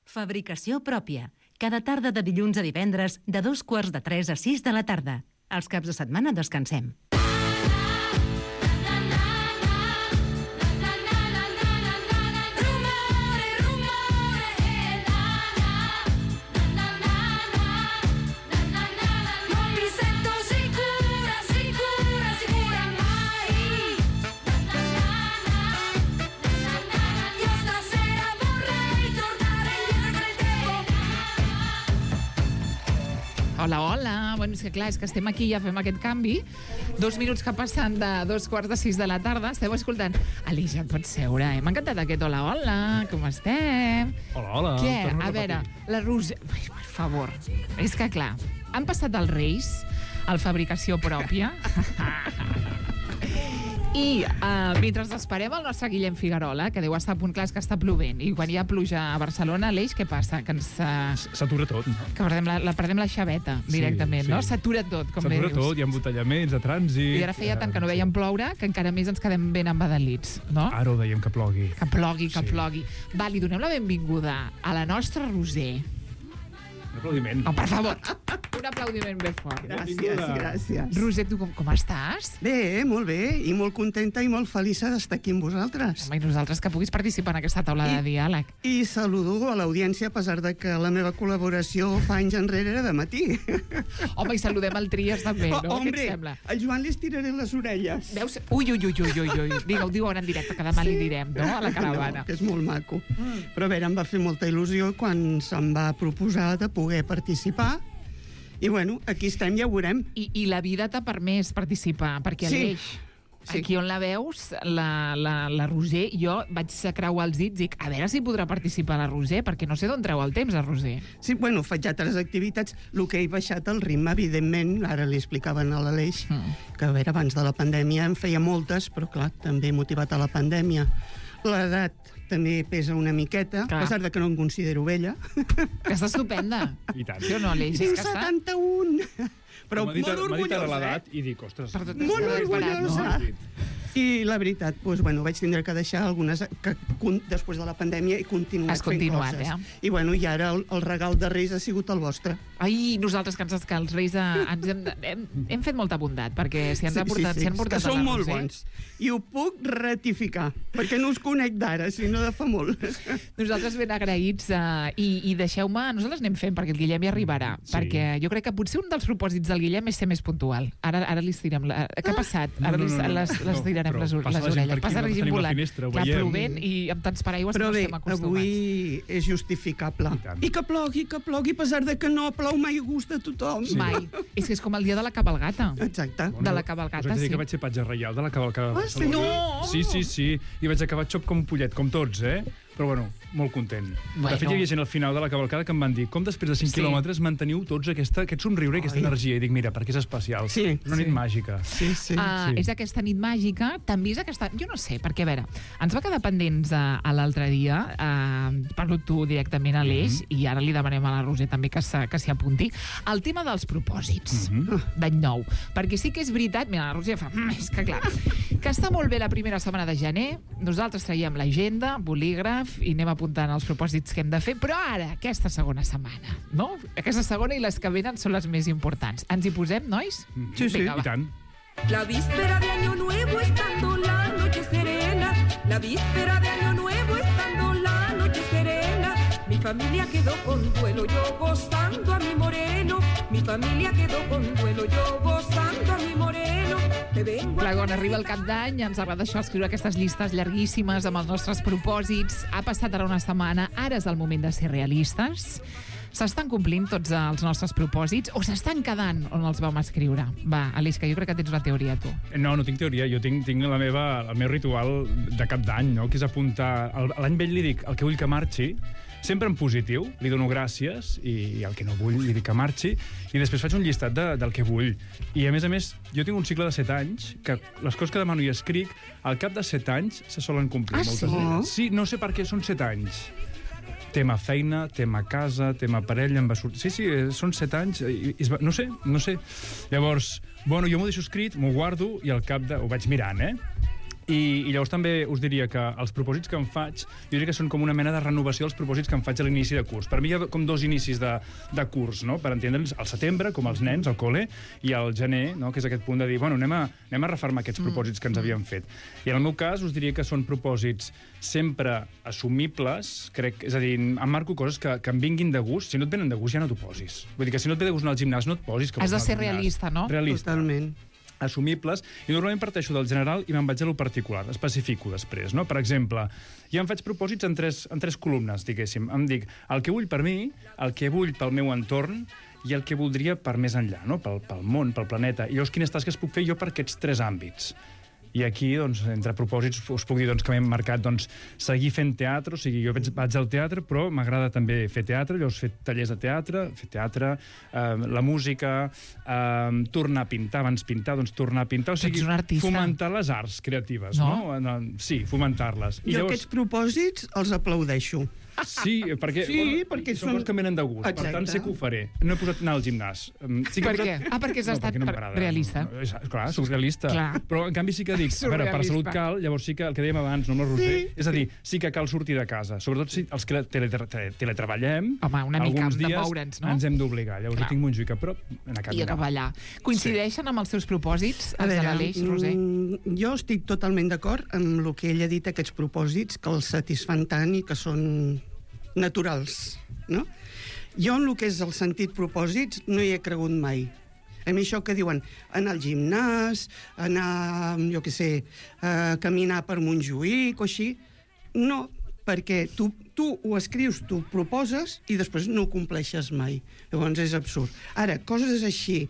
Fabricació pròpia. Cada tarda de dilluns a divendres, de dos quarts de tres a sis de la tarda. Els caps de setmana descansem. Hola, hola. Bueno, és que clar, és que estem aquí i ja fem aquest canvi. Dos minuts que passen de dos quarts de sis de la tarda. Esteu escoltant. Aleix, et pots seure, eh? M'ha encantat aquest hola, hola. Com estem? Hola, hola. Què? A veure, la Roser... Ai, per favor. És que clar, han passat els Reis al Fabricació Pròpia. I uh, mentre esperem el nostre Guillem Figuerola, que deu estar a punt, clar, és que està plovent, i quan hi ha pluja a Barcelona, Aleix, què passa? Que ens... Uh, S'atura tot, no? Que perdem la, la perdem la xaveta, directament, sí, sí. No? S'atura tot, com bé dius. S'atura tot, hi ha embotellaments, de trànsit... I ara feia tant que no veiem ploure, que encara més ens quedem ben embadalits, no? Ara ho dèiem, que plogui. Que plogui, que Sí. plogui. Va, li donem la benvinguda a la nostra Roser. Un aplaudiment. Oh, per favor, un aplaudiment ben fort. Gràcies, gràcies. Roser, tu com, com estàs? Bé, molt bé, i molt contenta i molt feliç d'estar aquí amb vosaltres. Home, i nosaltres que puguis participar en aquesta taula de diàleg. I saludo a l'audiència, a pesar de que la meva col·laboració fa anys enrere era de matí. Home, i saludem el Trias també, no? Oh, Què et hombre, sembla? al Joan li estiraré les orelles. Veus? Ui, ui, ui, ui, ui, ui. Digue-ho, diu ara en directe, que demà li direm, no?, a la caravana. No, que és molt maco. Mm. Però a veure, em va fer molta il·lusió quan se'm va proposar de poder participar. I bueno, aquí estem, ja ho veurem. I, i la vida t'ha permès participar, perquè Sí. Aleix, Sí. aquí on la veus, la, la, la Roser, jo vaig creuar els dits i dic, a veure si podrà participar la Roser, perquè no sé d'on treu el temps, la Roser. Sí, bueno, faig altres activitats. El que he baixat el ritme, evidentment, ara li explicaven a l'Aleix, Mm. que a veure, abans de la pandèmia en feia moltes, però clar, també motivat a la pandèmia. L'edat també pesa una miqueta, Clar. a pesar de que no em considero vella. Que està estupenda. I tant. Sí o no, Aleix? És Tinc que està... setanta-un! Però M'ha dit, molt m'ha dit ara orgullosa, l'edat eh? i dic, ostres... Per tot Molt està preparat, no? orgullosa. I la veritat, doncs, bueno, vaig tindre que deixar algunes que con, després de la pandèmia he continuat Has continuat, fent coses. eh? I bueno, i ara el, el regal de Reis ha sigut el vostre. Ai, nosaltres que, ens, que els Reis eh, ens hem, hem, hem fet molta bondat, perquè si ens ha portat, si han portat que a la són molt Roser... bons. I ho puc ratificar, perquè no us conec d'ara, sinó de fa molt. Nosaltres ben agraïts eh, i, i deixeu-me, nosaltres anem fent perquè el Guillem hi arribarà, Sí. perquè jo crec que potser un dels propòsits del Guillem és ser més puntual. Ara, ara li estirem... La... Què ha passat? Ara No, li, no, no, no. les, les No, tirarem però les, passa les la gent orelles. per aquí, Passa la nosaltres gent tenim la volant. finestra, ho Clar, veiem. plovent i amb tants paraigües Però que no bé, estem acostumats. avui és justificable. I tant. I que plogui, que plogui, a pesar de que no plou mai a gust de tothom. Mai. És que és com el dia de la cabalgata. Exacte. De la cavalcata, us haig de dir sí. que vaig ser patge reial de la cavalcada de Ah, sí? Barcelona. No! Sí, sí, sí. I vaig acabar xop com un pollet, com tots, eh? Però bueno, molt content. Bueno. De fet, hi havia gent al final de la cavalcada que em van dir com després de cinc Sí. quilòmetres manteniu tots aquesta, aquest somriure i aquesta Ai. energia. I dic, mira, perquè és especial. Sí, Una nit sí. màgica. Sí, sí. Uh, sí. És aquesta nit màgica, també és aquesta... Jo no sé, perquè, a veure, ens va quedar pendents uh, a l'altre dia, uh, parlo tu directament a l'Eix, Mhm. i ara li demanem a la Roser també que s'hi que s'hi apunti, el tema dels propòsits Mhm. d'any nou. Perquè sí que és veritat, mira, la Roser fa... Mm, és que clar, que està molt bé la primera setmana de gener, nosaltres traiem l'agenda, bolígraf, i anem apuntant els propòsits que hem de fer, però ara, aquesta segona setmana, no? Aquesta segona i les que venen són les més importants. Ens hi posem, nois? Sí, sí. Vinga, va. I tant. La víspera de Año Nuevo estando la noche serena, la víspera de Año Nuevo estando la noche serena, mi familia quedó con duelo, yo gozando a mi moreno, mi familia quedó con duelo, yo gozando a mi moreno. Te vengo Clar, quan arriba el cap d'any ens agrada això, escriure aquestes llistes llarguíssimes amb els nostres propòsits. Ha passat ara una setmana, ara és el moment de ser realistes. S'estan complint tots els nostres propòsits o s'estan quedant on els vam escriure? Va, Aleix, que jo crec que tens una teoria, tu. No, no tinc teoria. Jo tinc, tinc la meva, el meu ritual de cap d'any, no? Que és apuntar... el- L'any vell li dic el que vull que marxi sempre en positiu, li dono gràcies, i, i el que no vull li dic que marxi, i després faig un llistat de, del que vull. I, a més a més, jo tinc un cicle de set anys, que les coses que demano i escric, al cap de set anys se solen complir. Ah, moltes sí? d'elles. Sí, no sé per què, són set anys. Tema feina, tema casa, tema parella, em va sortir... Sí, sí, són set anys, i, i va... no sé, no sé. Llavors, bueno, jo m'ho deixo escrit, m'ho guardo, i al cap de... ho vaig mirant, eh? I, I llavors també us diria que els propòsits que em faig, jo diria que són com una mena de renovació dels propòsits que em faig a l'inici de curs. Per mi hi ha com dos inicis de, de curs, no? Per entendre'ns, al setembre, com els nens, al col·le, i al gener, no? Que és aquest punt de dir, bueno, anem a, anem a refermar aquests propòsits que ens havíem fet. I en el meu cas us diria que són propòsits sempre assumibles, crec, és a dir, em marco coses que, que em vinguin de gust. Si no et venen de gust, ja no t'ho posis. Vull dir que si no et ve de gust anar al gimnàs, no et posis. Que Has de vols anar ser al gimnàs. realista, no? Realista. Totalment. Assumibles, i normalment parteixo del general i me'n vaig a lo particular, especifico després, no? Per exemple, jo em faig propòsits en tres, en tres columnes, diguéssim. Em dic el que vull per mi, el que vull pel meu entorn i el que voldria per més enllà, no? Pel, pel món, pel planeta. I llavors, quines tasques puc fer jo per aquests tres àmbits? I aquí, doncs, entre propòsits, us puc dir doncs, que m'he marcat doncs, seguir fent teatre, o sigui, jo vaig, vaig al teatre, però m'agrada també fer teatre, llavors fer tallers de teatre, fer teatre, eh, la música, eh, tornar a pintar, abans pintar, doncs tornar a pintar, o sigui, Ets un artista. fomentar les arts creatives, no? no? Sí, fomentar-les. I jo llavors... aquests propòsits els aplaudeixo. Sí, perquè, Sí, bueno, perquè són són- coses que em venen de gust. Exacte. Per tant, sé que ho faré. No he posat anar al gimnàs. Um, Sí que Per he posat... què? Ah, perquè has estat perquè no per- m'agrada. realista. No, és, clar, soc realista. Clar. Però, en canvi, sí que dic, a veure, per Surrealisme. salut cal, llavors sí que el que dèiem abans, no amb el Roser, Sí. és a dir, sí que cal sortir de casa. Sobretot si els que teletre tele teletreballem, Home, una mica alguns hem de dies moure'ns, no? ens hem d'obligar. Llavors Clar. jo tinc Montjuïc a prop, anar a I a caminar. cavallar. Coincideixen amb els seus propòsits, els de l'Aleix, Roser? mm, jo estic totalment d'acord amb el que ell ha dit, aquests propòsits, que els satisfan tant i que són naturals, no? Jo en el que és el sentit propòsits no hi he cregut mai. A mi això que diuen anar al gimnàs, anar, jo què sé, a caminar per Montjuïc o així, no, perquè tu, tu ho escrius, tu ho proposes i després no ho compleixes mai. Llavors és absurd. Ara, coses així,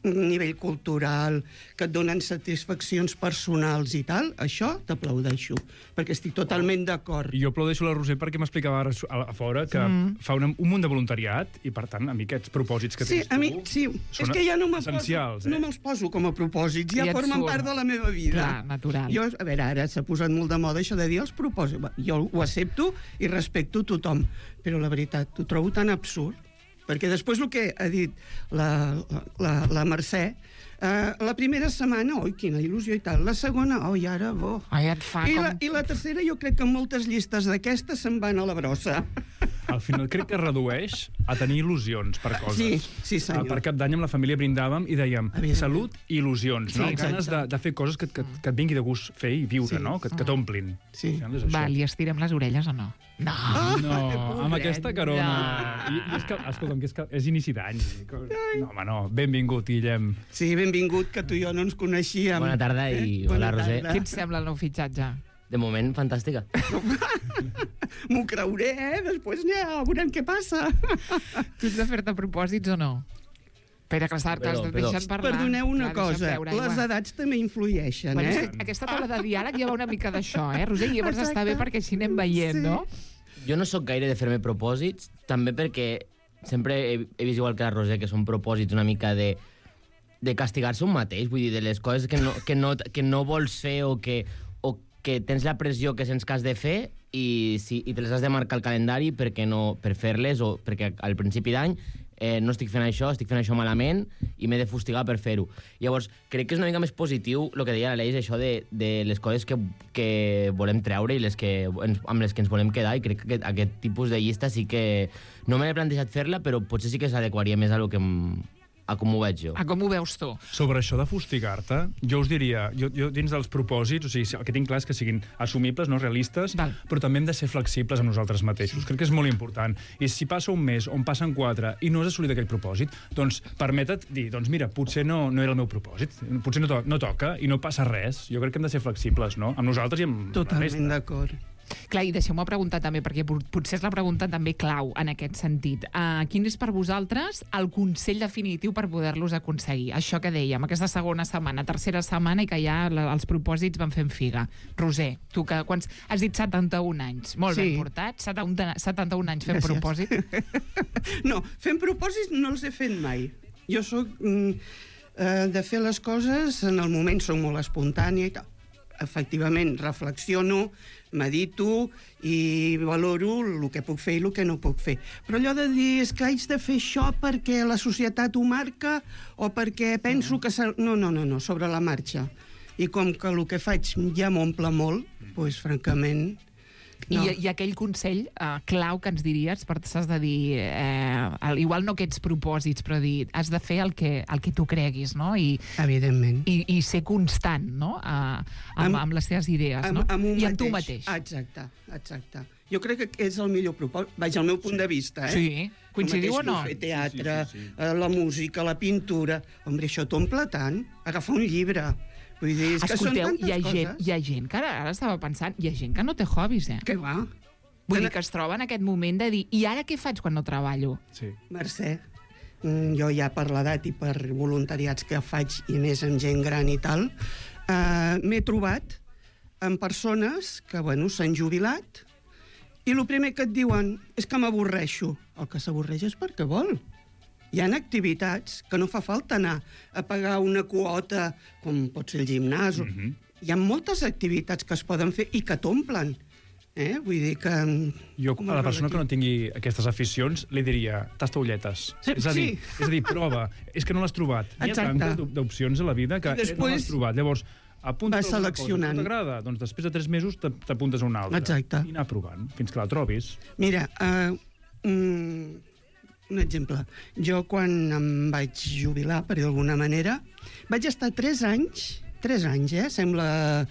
a nivell cultural, que et donen satisfaccions personals i tal, això t'aplaudeixo, perquè estic totalment d'acord. I jo aplaudeixo la Roser perquè m'explicava ara a, a fora que mm. fa una, un munt de voluntariat i, per tant, a mi aquests propòsits que Sí, tens tu... a mi, sí, és que ja no me'ls essencials, poso, eh? no me'ls poso com a propòsits, ja, Ja et formen surt. part de la meva vida. Clar, natural. Jo, a veure, ara s'ha posat molt de moda això de dir els propòsits. Va, jo ho accepto i respecto tothom, però la veritat, ho trobo tan absurd, perquè després el que ha dit la, la, la Mercè, eh, la primera setmana, oi, quina il·lusió i tal, la segona, oi, ara, bo. Ai, et fa I com... la, I la tercera, jo crec que moltes llistes d'aquestes se'n van a la brossa. Al final crec que redueix a tenir il·lusions per coses. Sí, sí, senyor. Per Cap d'Any amb la família brindàvem i dèiem Evidentment. salut i il·lusions, no? Sí, exacte. Ganes de, de fer coses que, que, que et vingui de gust fer i viure, Sí. no? Que, que t'omplin. Sí. Al final és això. Va, li estirem les orelles o no? No. No, amb aquesta carona. No. I, i és que, escolta'm, que és, que és inici d'any. No, home, no. Benvingut, Guillem. Sí, benvingut, que tu i jo no ens coneixíem. Bona tarda i hola, Roser. Què et sembla el nou fitxatge? De moment, fantàstica. M'ho creuré, eh? Després ja veurem què passa. Tu ets de fer-te propòsits o no? Espera, que l'estàs Perdó, perdó. deixant parlar. Perdoneu una Clar, deixa'm cosa, beure les aigua. edats també influeixen, Bueno, és eh? que aquesta taula de diàleg ja va una mica d'això, eh, Roser? I llavors Exacte. està bé perquè així anem veient, Sí. no? Jo no sóc gaire de fer-me propòsits, també perquè sempre he, he vist igual que la Roser, que són propòsits una mica de, de castigar-se un mateix, vull dir, de les coses que no, que no, que no vols fer o que, o que tens la pressió que sents que has de fer i, si, i te les has de marcar al calendari perquè no, per fer-les o perquè al principi d'any eh, no estic fent això, estic fent això malament i m'he de fustigar per fer-ho. Llavors, crec que és una mica més positiu el que deia l'Aleix, això de, de les coses que, que volem treure i les que, ens, amb les que ens volem quedar, i crec que aquest, aquest tipus de llista sí que... No me l'he plantejat fer-la, però potser sí que s'adequaria més a, lo que, em- a com ho veig jo. A com ho veus tu? Sobre això de fustigar-te, jo us diria, jo, jo dins dels propòsits, o sigui, el que tinc clar és que siguin assumibles, no realistes, Val. però també hem de ser flexibles amb nosaltres mateixos. Crec que és molt important. I si passa un mes o en passen quatre i no has assolit aquell propòsit, doncs permeta't dir, doncs mira, potser no, no era el meu propòsit, potser no, to no toca i no passa res. Jo crec que hem de ser flexibles, no? Amb nosaltres i amb la Totalment resta. d'acord. Clar, i deixeu-me preguntar també, perquè potser és la pregunta també clau en aquest sentit. Uh, quin és per vosaltres el consell definitiu per poder-los aconseguir? Això que dèiem, aquesta segona setmana, tercera setmana, i que ja la, els propòsits van fent figa. Roser, tu que quants, has dit setanta-un anys, molt Sí. ben portat, setanta-un anys fent Gràcies. propòsits. No, fent propòsits no els he fet mai. Jo sóc mm, eh, de fer les coses en el moment, soc molt espontània i tal. Efectivament, reflexiono, medito i valoro el que puc fer i el que no puc fer. Però allò de dir, és que haig de fer això perquè la societat ho marca o perquè penso que... s'ha- No, no, no, no, sobre la marxa. I com que el que faig ja m'omple molt, doncs, francament... No. I, I aquell consell uh, clau que ens diries, per has de dir, eh, el, igual no aquests propòsits, però dir, has de fer el que, el que tu creguis, no? I, Evidentment. i, i ser constant, no? Uh, amb, Amb- amb les teves idees, no? Amb, amb un I amb tu mateix. Exacte, exacte. Jo crec que és el millor propòsit, vaja, el meu punt de vista, eh? Sí, coincidiu o El mateix no? tu fer teatre, Sí, sí, sí, sí. eh, la música, la pintura... Hombre, això t'omple tant. Agafar un llibre. Vull dir, és que Escolteu, són tantes hi ha, gent, coses. hi ha gent que ara, ara estava pensant, hi ha gent que no té hobbies, eh? Què va? Vull dir que es troba en aquest moment de dir, i ara què faig quan no treballo? Sí. Mercè, mm, jo ja per l'edat i per voluntariats que faig, i més amb gent gran i tal, eh, m'he trobat amb persones que, bueno, s'han jubilat i el primer que et diuen és que m'avorreixo. El que s'avorreix és perquè vol. Hi ha activitats que no fa falta anar a pagar una quota, com pot ser el gimnàs. Mhm. Hi ha moltes activitats que es poden fer i que t'omplen. Eh? Vull dir que... Jo, com a la es persona relativa. que no tingui aquestes aficions, li diria, tasta ulletes. Sí, és, a dir, sí. és a dir, prova. És que no l'has trobat. Hi ha Exacte. tantes d'op- d'opcions a la vida que I després... no després l'has trobat. Llavors, apunta vas seleccionant. Cosa que t'agrada. Doncs després de tres mesos t'ap- t'apuntes a una altra. Exacte. I anar provant, fins que la trobis. Mira, uh, mm, un exemple. Jo, quan em vaig jubilar, per dir d'alguna manera, vaig estar tres anys, tres anys, eh? Sembla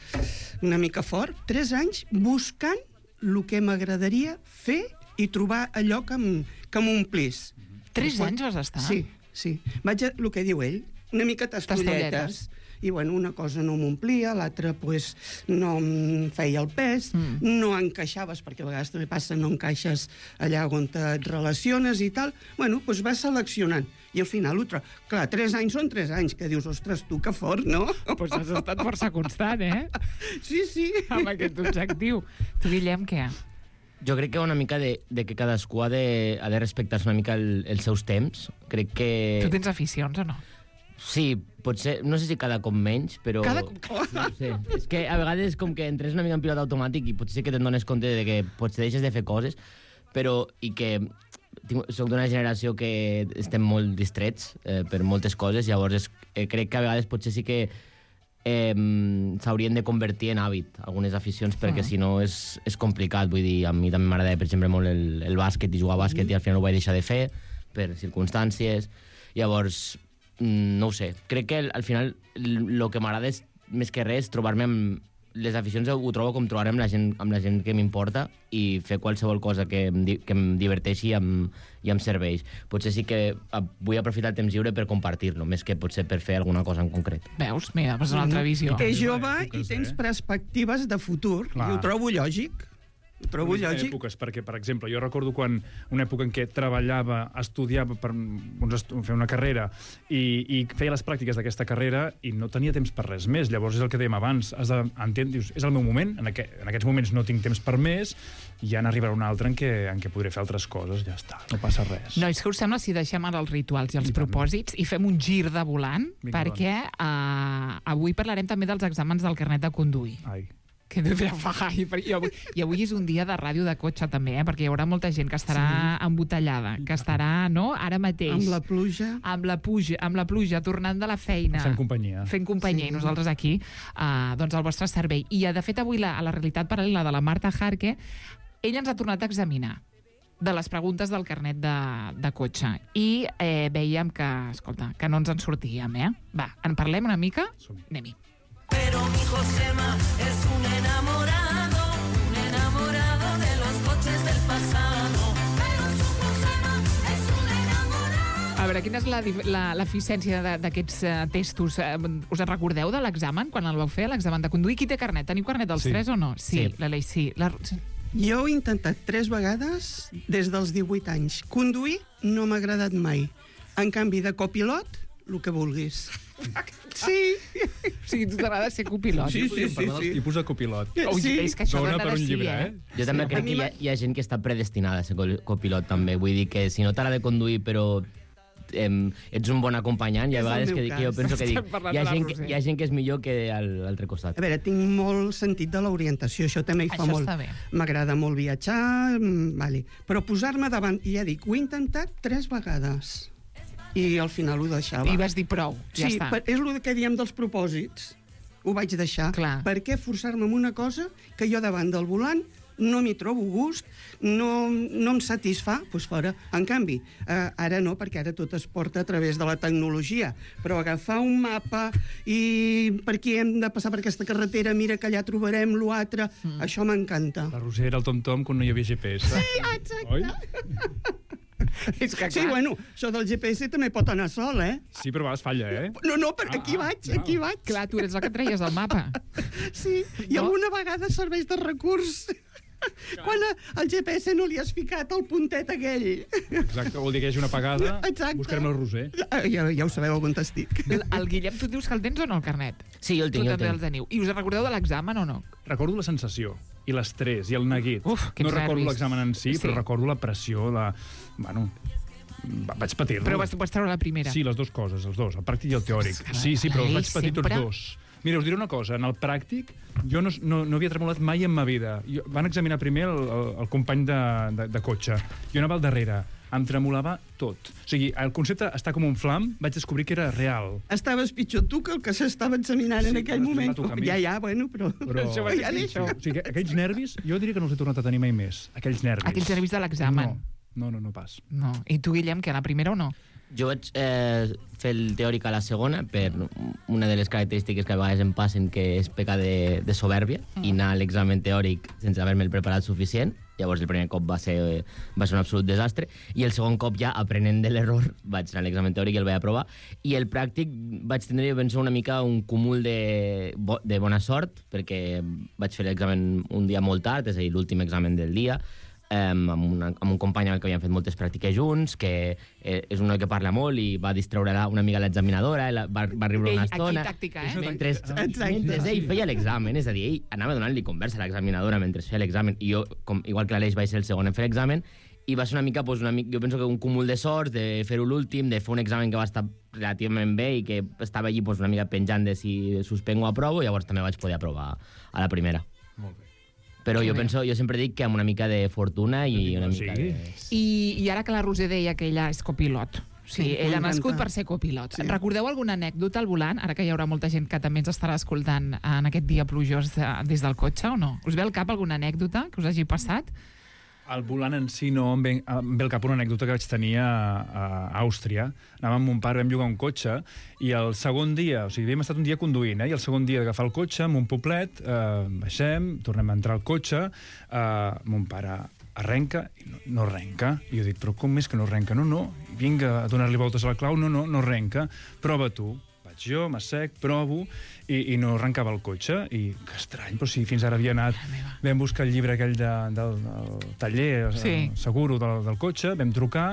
una mica fort, tres anys buscant el que m'agradaria fer i trobar allò que em- que m'omplís. Tres Quan- anys vas estar? Sí, sí. Vaig a, el que diu ell, una mica Tastolletes. tastolletes. I, bueno, una cosa no m'omplia, l'altra, pues, no em feia el pes, Mm. no encaixaves, perquè a vegades també passa, no encaixes allà on et relaciones i tal. Bueno, doncs vas seleccionant. I al final ho trobes. Clar, tres anys són tres anys, que dius, ostres, tu, que fort, no? Doncs has estat força constant, eh? Sí, sí. Amb aquest objectiu. Tu, Guillem, què? Jo crec que una mica de, de que cadascú ha de, ha de respectar-se una mica el, els seus temps. Crec que... Tu tens aficions o no? Sí, potser, no sé si cada cop menys, però... Cada- No sé, és que a vegades com que entres una mica en pilot automàtic i potser sí que te'n dones compte de que potser deixes de fer coses, però i que tinc, soc d'una generació que estem molt distrets eh, per moltes coses, llavors és, eh, crec que a vegades potser sí que eh, s'haurien de convertir en hàbit algunes aficions, perquè Ah. si no és, és complicat. Vull dir, a mi també m'agrada, per exemple, molt el, el bàsquet i jugar a bàsquet, i al final ho vaig deixar de fer per circumstàncies. Llavors, mm, no ho sé. Crec que al final el que m'agrada és, més que res, trobar-me amb les aficions, ho trobo com trobar-me amb la gent, amb la gent que m'importa i fer qualsevol cosa que em, di- que em diverteixi i em, i em serveix. Potser sí que ah, vull aprofitar el temps lliure per compartir-lo, més que potser per fer alguna cosa en concret. Veus? Mira, és una altra visió. És Sí, jove èpoques, i tens eh? perspectives de futur. Clar. I ho trobo lògic. Ho trobo Unes lògic. èpoques, perquè, per exemple, jo recordo quan una època en què treballava, estudiava per uns estu fer una carrera i, i feia les pràctiques d'aquesta carrera i no tenia temps per res més. Llavors és el que dèiem abans, has d'entendre, dius, és el meu moment, en, aqu en aquests moments no tinc temps per més, i ja n'arribarà un altre en què, en què podré fer altres coses, ja està, no passa res. Nois, què us sembla si deixem ara els rituals i els I tant. propòsits i fem un gir de volant? Vinga, perquè uh, avui parlarem també dels exàmens del carnet de conduir. Ai. Que no ja fa gai, i avui, i avui és un dia de ràdio de cotxe també, eh? Perquè hi haurà molta gent que estarà sí. embotellada, que estarà, no?, ara mateix. Amb la pluja. Amb la pluja, amb la pluja, tornant de la feina. Fent companyia. Fent companyia, Sí. i nosaltres aquí, uh, doncs, al vostre servei. I, de fet, avui, la, a la realitat paral·lela de la Marta Jarque, ella ens ha tornat a examinar de les preguntes del carnet de, de cotxe. I eh, veiem que, escolta, que no ens en sortíem, eh? Va, en parlem una mica? Som-hi. Anem-hi. Pero mi Josema es un enamorado, un enamorado de los coches del pasado. Pero su Josema es un enamorado. A veure, veure, quina és la dif- la- l'eficiència de- d'aquests eh, testos? Eh, us en recordeu de l'examen, quan el vau fer, l'examen de conduir? Qui té carnet? Teniu carnet dels Sí. tres o no? Sí, Sí. l'Aleix sí. La... Jo ho he intentat tres vegades des dels divuit anys. Conduir no m'ha agradat mai. En canvi, de copilot, el que vulguis. Sí. O sigui, tu t'agrada ser copilot. Sí, sí, sí, Parlar dels sí. tipus de copilot. Ui, Sí. és que això Dona dona per de un sí, llibre, eh? eh? Jo també A crec mi que hi ha, hi ha gent que està predestinada a ser col- copilot, també. Vull dir que si no t'agrada conduir, però em, ets un bon acompanyant, hi ha És el vegades meu que, que jo cas. penso que dic, Estem parlant hi ha, de la gent, que- Roser. hi ha gent que és millor que a l'altre costat. A veure, tinc molt sentit de l'orientació, això també hi fa Això molt. està bé. M'agrada molt viatjar, mm, vale. Però posar-me davant, i ja dic, ho he intentat tres vegades. I al final ho deixava. I vas dir prou, ja sí, està. per, és el que diem dels propòsits. Ho vaig deixar. Clar. Per què forçar-me en una cosa que jo davant del volant no m'hi trobo gust, no, no em satisfà, doncs fora. En canvi, eh, ara no, perquè ara tot es porta a través de la tecnologia, però agafar un mapa i per aquí hem de passar per aquesta carretera, mira que allà trobarem l'altre, mm. això m'encanta. La Roser era el tom-tom quan no hi havia G P S. Sí, exacte. Oi? És que, Sí, bueno, això del G P S també pot anar sol, eh? Sí, però a vegades falla, eh? No, no, perquè aquí Ah, vaig, ah, aquí vaig. Clar, tu eres el que et treies el mapa. Sí, i No? alguna vegada serveix de recurs. Quan a- al G P S no li has ficat el puntet aquell. Exacte, vol dir que hi hagi una apagada. Exacte. Buscarem el Roser. Ah, Ja, ja ho sabeu on estic. El, el Guillem, tu et dius que el tens o no, el carnet? Sí, jo el tinc, Tu jo el també el tinc. teniu. I us en recordeu de l'examen o no? Recordo la sensació i l'estrès i el neguit. Uf, quins no recordo nervis. l'examen en si, Sí. però recordo la pressió, la... Bueno, va- vaig patir-lo. Però vas, vas treure la primera. Sí, les dues coses, els dos, el pràctic i el teòric. Carai, Sí, sí, però els vaig Aleix, patir tots sempre- dos. Mira, us diré una cosa, en el pràctic jo no, no, no havia tremolat mai en ma vida. Jo, van examinar primer el, el, el company de, de, de cotxe. Jo anava al darrere, em tremolava tot. O sigui, el concepte està com un flam, vaig descobrir que era real. Estaves pitjor tu que el que s'estava examinant Sí, en aquell però moment. m'ha tocat a mi. Ja, ja, bueno, però... Però... Això va ser Ja deixo. pitjor. O sigui, aquells nervis, jo diria que no els he tornat a tenir mai més. Aquells nervis. Aquells nervis de l'examen. No, no, no, no pas. No. I tu, Guillem, que a la primera o no? Jo vaig eh, fer el teòric a la segona per una de les característiques que a vegades em passen, que és pecar de, de soberbia, mm. i anar a l'examen teòric sense haver-me'l preparat suficient. Llavors el primer cop va ser, va ser un absolut desastre, i el segon cop ja, aprenent de l'error, vaig anar a l'examen teòric i el vaig aprovar. I el pràctic vaig tindre, jo penso, una mica un cúmul de, bo, de bona sort, perquè vaig fer l'examen un dia molt tard, és a dir, l'últim examen del dia, Um, amb, una, amb un company amb el que havíem fet moltes pràctiques junts, que eh, és un noi que parla molt i va distreure la, una mica l'examinadora, la, va, va riure Ei, una aquí estona. tàctica, eh? Mentre, Exacte. mentre ell feia l'examen, és a dir, ell anava donant-li conversa a l'examinadora mentre feia l'examen, i jo, com, igual que l'Aleix, vaig ser el segon en fer l'examen, i va ser una mica, pues, una mica, jo penso que un cúmul de sorts, de fer-ho l'últim, de fer un examen que va estar relativament bé i que estava allí, pues, una mica penjant de si suspengo o aprovo, llavors també vaig poder aprovar a la primera. Molt bé. Però Que jo bé. penso, jo sempre dic que amb una mica de fortuna i una Sí. mica de... I, I ara que la Roser deia que ella és copilot. Sí, Sí, ella ha m'encanta. nascut per ser copilot. Sí. Recordeu alguna anècdota al volant? Ara que hi haurà molta gent que també ens estarà escoltant en aquest dia plujós eh, des del cotxe, o no? Us ve al cap alguna anècdota que us hagi passat? Al volant en si no, em ve, em ve al cap una anècdota que vaig tenir a, a Àustria. Anàvem amb mon pare, vam llogar un cotxe, i el segon dia, o sigui, havíem estat un dia conduint, eh, i el segon dia d'agafar el cotxe, amb un poblet, eh, baixem, tornem a entrar al cotxe, eh, mon pare arrenca i no, no arrenca. I jo dic, però com és que no arrenca? No, no, vinga a donar-li voltes a la clau, no, no, no arrenca, prova tu. Vaig jo, m'assec, provo, i, i no arrencava el cotxe, i que estrany, però si fins ara havia anat, vam buscar el llibre aquell de, del, del taller, Sí. eh, seguro del, del cotxe, vam trucar,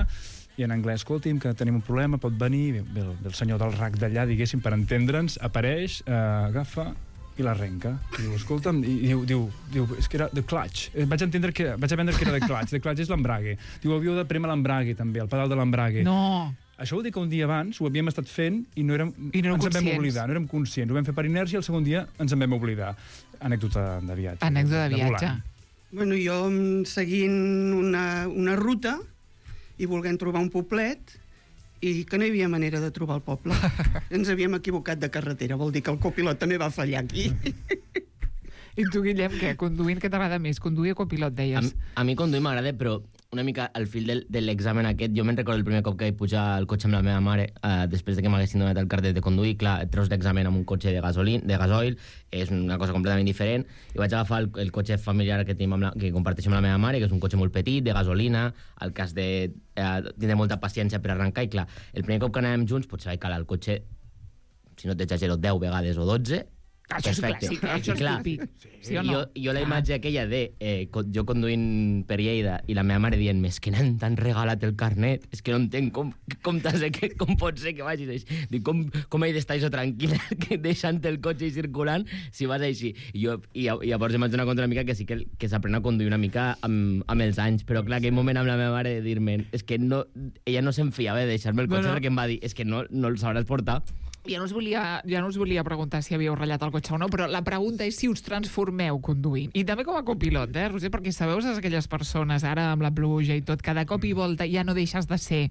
i en anglès, escolti'm, que tenim un problema, pot venir, ve, ve, el, ve el senyor del rac d'allà, diguéssim, per entendre'ns, apareix, eh, agafa i l'arrenca. Diu, escolta'm, i diu, diu, diu, és que era the clutch. Eh, Vaig entendre que, vaig aprendre que era the clutch. The clutch és l'embrague. Diu, havíeu de prémer l'embrague, també, el pedal de l'embrague. No. Això vol dir que un dia abans ho havíem estat fent i no érem, I no érem ens en vam conscients. oblidar, no érem conscients. Ho vam fer per inèrcia i el segon dia ens en vam oblidar. Anècdota de viatge. Anècdota de viatge. volant. Bueno, jo mm, seguint una, una ruta i volent trobar un poblet, i que no hi havia manera de trobar el poble. Ens havíem equivocat de carretera, vol dir que el copilot també va fallar aquí. I tu, Guillem, què? Conduint, què t'agrada més? Conduir o copilot, A, deies? a mi conduir m'agrada, però una mica al fil del, de l'examen aquest, jo me'n recordo el primer cop que vaig pujar al cotxe amb la meva mare, eh, després de que m'haguessin donat el carnet de conduir. Clar, treus l'examen amb un cotxe de gasolina, de gasoil, és una cosa completament diferent, i vaig agafar el, el cotxe familiar que, tenim amb la, que comparteixo amb la meva mare, que és un cotxe molt petit, de gasolina, al cas de eh, tindre molta paciència per arrencar, i clar, el primer cop que anàvem junts potser vaig calar el cotxe, si no t'exagero, deu vegades o dotze. Això és clàssic, eh? Això és típic. Sí o no? Jo, jo la imatge aquella de eh, jo conduint per Lleida i la meva mare dient-me és que n'han tan regalat el carnet, és que no entenc com, com, que, com pot ser que vagis així. Dic, com, com he d'estar això tranquil·la que deixant el cotxe i circulant si vas així? I, jo, i, i llavors em vaig donar compte una mica que sí que, que s'aprèn a conduir una mica amb, amb els anys, però clar, aquell moment amb la meva mare de dir-me és que no, ella no se'n fiava de deixar-me el cotxe bueno. perquè em va dir és que no, no el sabràs portar. Ja no, us volia, ja no us volia preguntar si havíeu ratllat el cotxe o no, però la pregunta és si us transformeu conduint. I també com a copilot, eh, Roser? Perquè sabeu aquelles persones, ara amb la pluja i tot, cada cop i volta ja no deixes de ser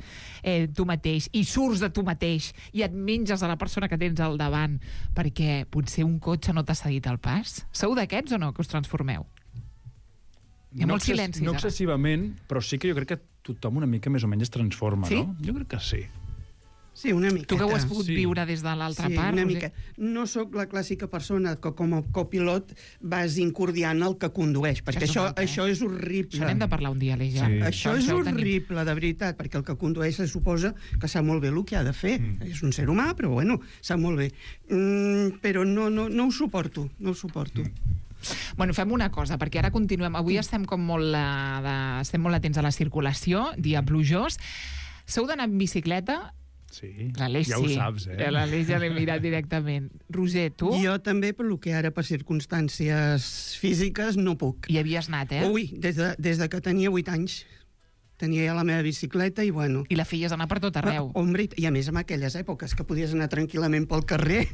eh, tu mateix i surts de tu mateix i et menges a la persona que tens al davant perquè potser un cotxe no t'ha cedit el pas. Sou d'aquests o no, que us transformeu? Hi ha no molts silencis, No ara. excessivament, però sí que jo crec que tothom una mica més o menys es transforma, sí? no? Jo crec que sí. Sí, una miqueta. Tu que ho has pogut sí. viure des de l'altra sí, part. una Roser. mica. No sóc la clàssica persona que com a copilot vas incordiant el que condueix, perquè això, això, això és horrible. Això n'hem de parlar un dia, Aleix, ja. Sí. Això és horrible, de veritat, perquè el que condueix se suposa que sap molt bé el que ha de fer. Mm. És un ser humà, però bueno, sap molt bé. Mm, però no, no, no ho suporto, no ho suporto. Mm. Bueno, fem una cosa, perquè ara continuem. Avui estem com molt, uh, de, estem molt atents a la circulació, dia plujós. Sou d'anar en bicicleta? Sí, L'Aleix ja sí. ho saps, eh? L'Aleix ja l'he mirat directament. Roser, tu? Jo també, per lo que ara per circumstàncies físiques no puc. Hi havies anat, eh? Ui, des de, des de que tenia vuit anys. Tenia ja la meva bicicleta i bueno... I la feies anar per tot arreu. Ah, hombre, i a més en aquelles èpoques que podies anar tranquil·lament pel carrer.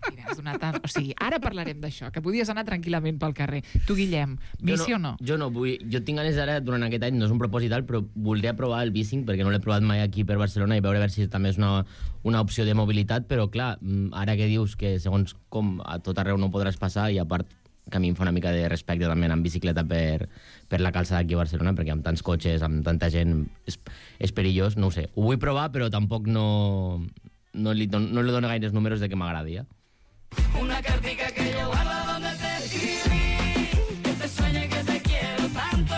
Mira, has donat... O sigui, ara parlarem d'això, que podies anar tranquil·lament pel carrer. Tu, Guillem, bici no, o no? Jo no vull... Jo tinc ganes ara, durant aquest any, no és un propòsit alt, però voldria provar el bicing, perquè no l'he provat mai aquí per Barcelona, i veure a veure si també és una, una opció de mobilitat, però clar, ara que dius que segons com a tot arreu no podràs passar, i a part que a mi em fa una mica de respecte també anar en bicicleta per, per la calçada aquí a Barcelona, perquè amb tants cotxes, amb tanta gent, és, és perillós, no ho sé. Ho vull provar, però tampoc no, no, li, don, no li dono gaires números de que m'agradi, eh? Una cartica que yo guardo donde te escribí, que te sueñe que te quiero tanto,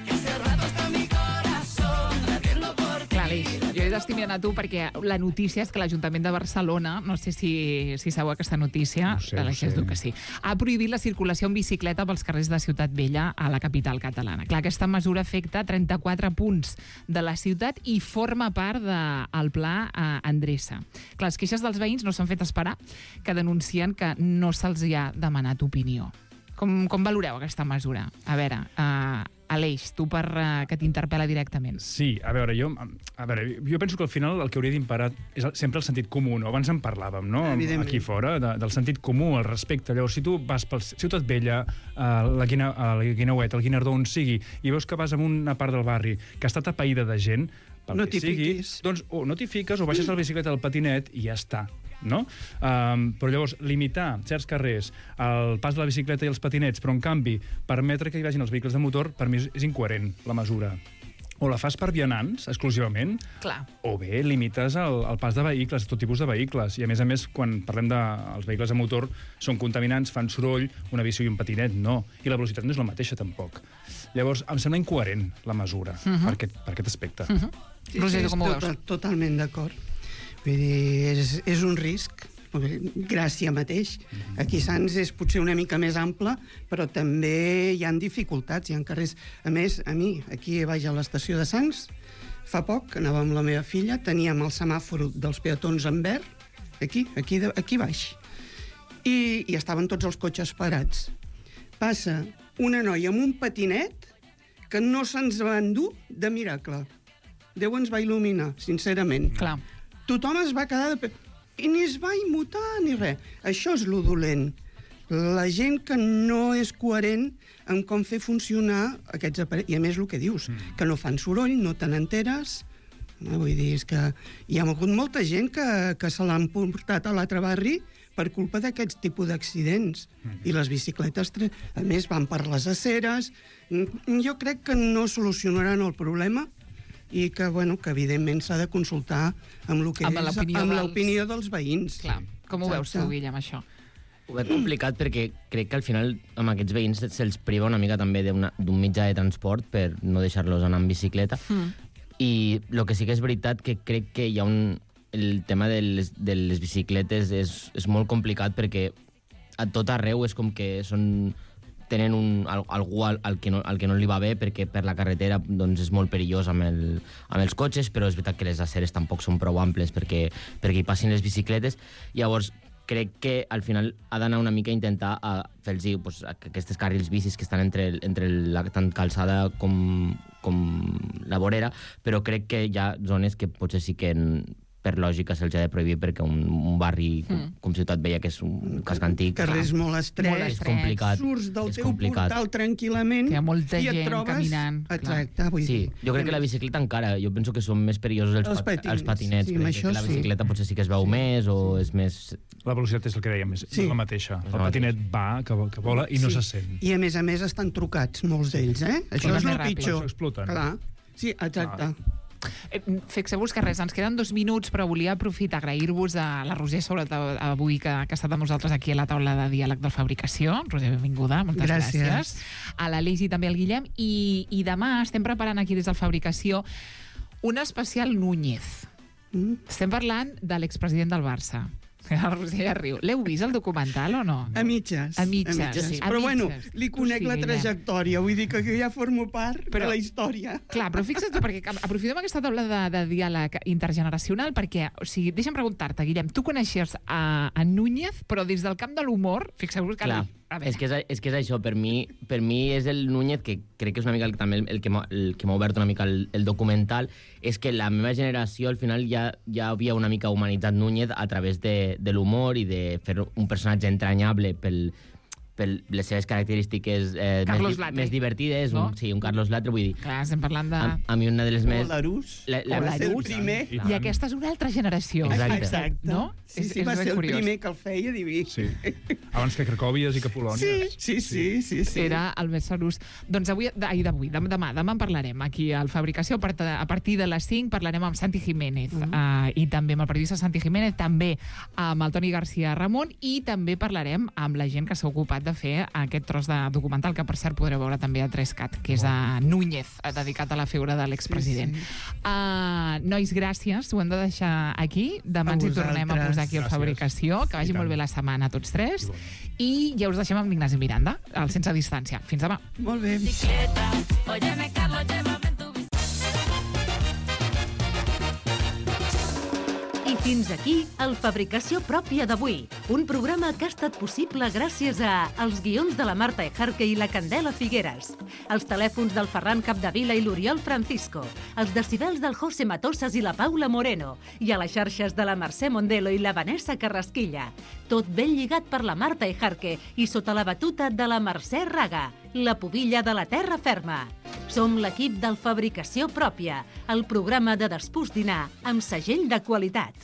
que hace rato está mi corazón latiendo por ti. Clar, Aleix, jo he d'estar mirant a tu perquè la notícia és que l'Ajuntament de Barcelona, no sé si, si sabeu aquesta notícia, No sé, Aleix, no sé. diu que sí, ha prohibit la circulació en bicicleta pels carrers de Ciutat Vella a la capital catalana. Clar, aquesta mesura afecta trenta-quatre punts de la ciutat i forma part del de, pla eh, Endreça. Clar, les queixes dels veïns no s'han fet esperar, que denuncien que no se'ls hi ha demanat opinió. Com, com valoreu aquesta mesura? A veure, uh, Aleix, tu per uh, que t'interpel·la directament. Sí, a veure, jo, a veure, jo penso que al final el que hauria d'imparar és el, sempre el sentit comú, no? Abans en parlàvem, no? Evidentment. Aquí fora, de, del sentit comú, el respecte. Llavors, si tu vas per Ciutat Vella, a la, Guina, a la Guineuet, al Guinardó, on sigui, i veus que vas a una part del barri que està atapeïda de gent, pel No que t'hi sigui, fiquis. doncs o no t'hi fiques o baixes la bicicleta al patinet i ja està. No? Um, però llavors, limitar certs carrers el pas de la bicicleta i els patinets, però en canvi permetre que hi vagin els vehicles de motor, per mi és, és incoherent la mesura. O la fas per vianants, exclusivament, Clar. o bé limites el, el pas de vehicles, tot tipus de vehicles. I a més a més, quan parlem dels de, vehicles de motor, són contaminants, fan soroll, una bici i un patinet, no. I la velocitat no és la mateixa, tampoc. Llavors, em sembla incoherent la mesura, uh -huh. per, aquest, per aquest aspecte. Uh -huh. Sí, Roger, sí, com ho tot, veus? totalment d'acord. Vull dir, és, és un risc. Gràcia mateix. Aquí Sants és potser una mica més ample, però també hi han dificultats, hi ha carrers. A més, a mi, aquí baix a l'estació de Sants, fa poc, anava amb la meva filla, teníem el semàfor dels peatons en verd, aquí, aquí, de, aquí baix, i, i estaven tots els cotxes parats. Passa una noia amb un patinet que no se'ns va endur de miracle. Déu ens va il·luminar, sincerament. Clar. Tothom es va quedar de... i ni es va immutar ni res. Això és lo dolent. La gent que no és coherent en com fer funcionar aquests aparells. I a més el que dius, mm. que no fan soroll, no te n'enteres. No, vull dir, és que hi ha hagut molta gent que, que se l'han portat a l'altre barri per culpa d'aquests tipus d'accidents. I les bicicletes, a més, van per les aceres. Jo crec que no solucionaran el problema i que, bueno, que evidentment s'ha de consultar amb, lo que Amb és, l'opinió amb dels- l'opinió dels veïns. Clar. Com ho veus tu, Exacte. Guillem, això? Ho veig complicat perquè crec que al final amb aquests veïns se'ls priva una mica també d'una- d'un mitjà de transport per no deixar-los anar en bicicleta. Mm. I el que sí que és veritat que crec que hi ha un... El tema de les, de les bicicletes és, és molt complicat perquè a tot arreu és com que són tenen un, al, algú al, al, que no, al que no li va bé perquè per la carretera doncs, és molt perillós amb, el, amb els cotxes, però és veritat que les aceres tampoc són prou amples perquè, perquè hi passin les bicicletes. Llavors, crec que al final ha d'anar una mica a intentar a fer-los pues, aquestes carrils bicis que estan entre, el- entre la tant calçada com, com la vorera, però crec que hi ha zones que potser sí que en, per lògica se'ls ha de prohibir perquè un, un barri com, Mm. com Ciutat Vella, que és un casc antic, Carrers molt estrets. Molt és estrets. complicat. Surts del és teu complicat. portal tranquil·lament Que hi ha molta i et gent trobes... caminant, clar. Exacte, vull Sí, dir... jo crec que la bicicleta encara, jo penso que són més perillosos els, Els pat patinets, els patinets, sí, perquè amb crec això que la sí. bicicleta potser sí que es veu Sí, més o sí. és més... La velocitat és el que dèiem, és Sí. la mateixa. És El la patinet va, que, que vola, i no Sí. se sent. I a més a més estan trucats, molts d'ells, eh? Això Van és més el ràpid. pitjor. Això exploten. Clar. Sí, exacte. Eh, Fixeu-vos que res, ens queden dos minuts, però volia aprofitar, agrair-vos a la Roser, sobretot avui, que, que ha estat amb nosaltres aquí a la taula de diàleg de fabricació. Roser, benvinguda, moltes gràcies. Gràcies. A l'Aleix i també al Guillem. I, I demà estem preparant aquí des del Fabricació un especial Núñez. Mm. Estem parlant de l'expresident del Barça. La Roser ja riu. L'heu vist, el documental, o no? A mitges. A mitges, sí. Però A bueno, mitges. li Tu conec sí, la Guillem. trajectòria, vull dir que jo ja formo part Però- de la història. Clar, però fixa't tu, perquè aprofitem aquesta taula de, de diàleg intergeneracional perquè, o sigui, deixa'm preguntar-te, Guillem, tu coneixies a, a Núñez, però des del camp de l'humor, fixeu-vos que... Clar, a veure, és que és, és que és això, per mi, per mi és el Núñez, que crec que és una mica el, també el, el que m'ha el que m'ha obert una mica el, el documental, és que la meva generació al final ja, ja havia una mica humanitzat Núñez a través de, de l'humor i de fer un personatge entranyable pel, per les seves característiques eh, Carlos més, di- Latre. més divertides, No? un, sí, un Carlos Latre, vull dir, clar, estem parlant de... a, a mi una de les més... O l'Arús, La- la- que va ser el L'Arús. primer. I I aquesta és una altra generació. Exacte. Exacte. No? Sí, És- sí, és va ben ser el curiós. primer que el feia diví. Sí. Abans que Cracòvies i que Polònia. Sí, sí, sí, sí, sí. Era el més serús. Doncs avui, ai, d'avui, dem- demà, demà en parlarem aquí al Fabricació. A part- A partir de les cinc parlarem amb Santi Jiménez Mm. uh, i també amb el periodista Santi Jiménez, també amb el Toni García Ramon i també parlarem amb la gent que s'ha ocupat de fer aquest tros de documental que, per cert, podreu veure també a tres cat, que és a Núñez, eh, dedicat a la figura de l'expresident. Sí, sí. Uh, nois, gràcies. Ho hem de deixar aquí. Demà A ens hi tornem a vosaltres. posar aquí al Gràcies. Fabricació. Que vagi I tant. molt bé la setmana a tots tres. Igualment. I ja us deixem amb l'Ignasi Miranda, al Sense Distància. Fins demà. Molt bé. bicicleta. Óyeme, Carlos, llévame en tu bicicleta. I fins aquí el Fabricació Pròpia d'avui, un programa que ha estat possible gràcies a els guions de la Marta Ejarque i la Candela Figueres, els telèfons del Ferran Capdevila i l'Oriol Francisco, els decibels del José Matosas i la Paula Moreno, i a les xarxes de la Mercè Mondelo i la Vanessa Carrasquilla. Tot ben lligat per la Marta Ejarque i sota la batuta de la Mercè Raga, la pubilla de la terra ferma. Som l'equip del Fabricació Pròpia, el programa de despús dinar amb segell de qualitat.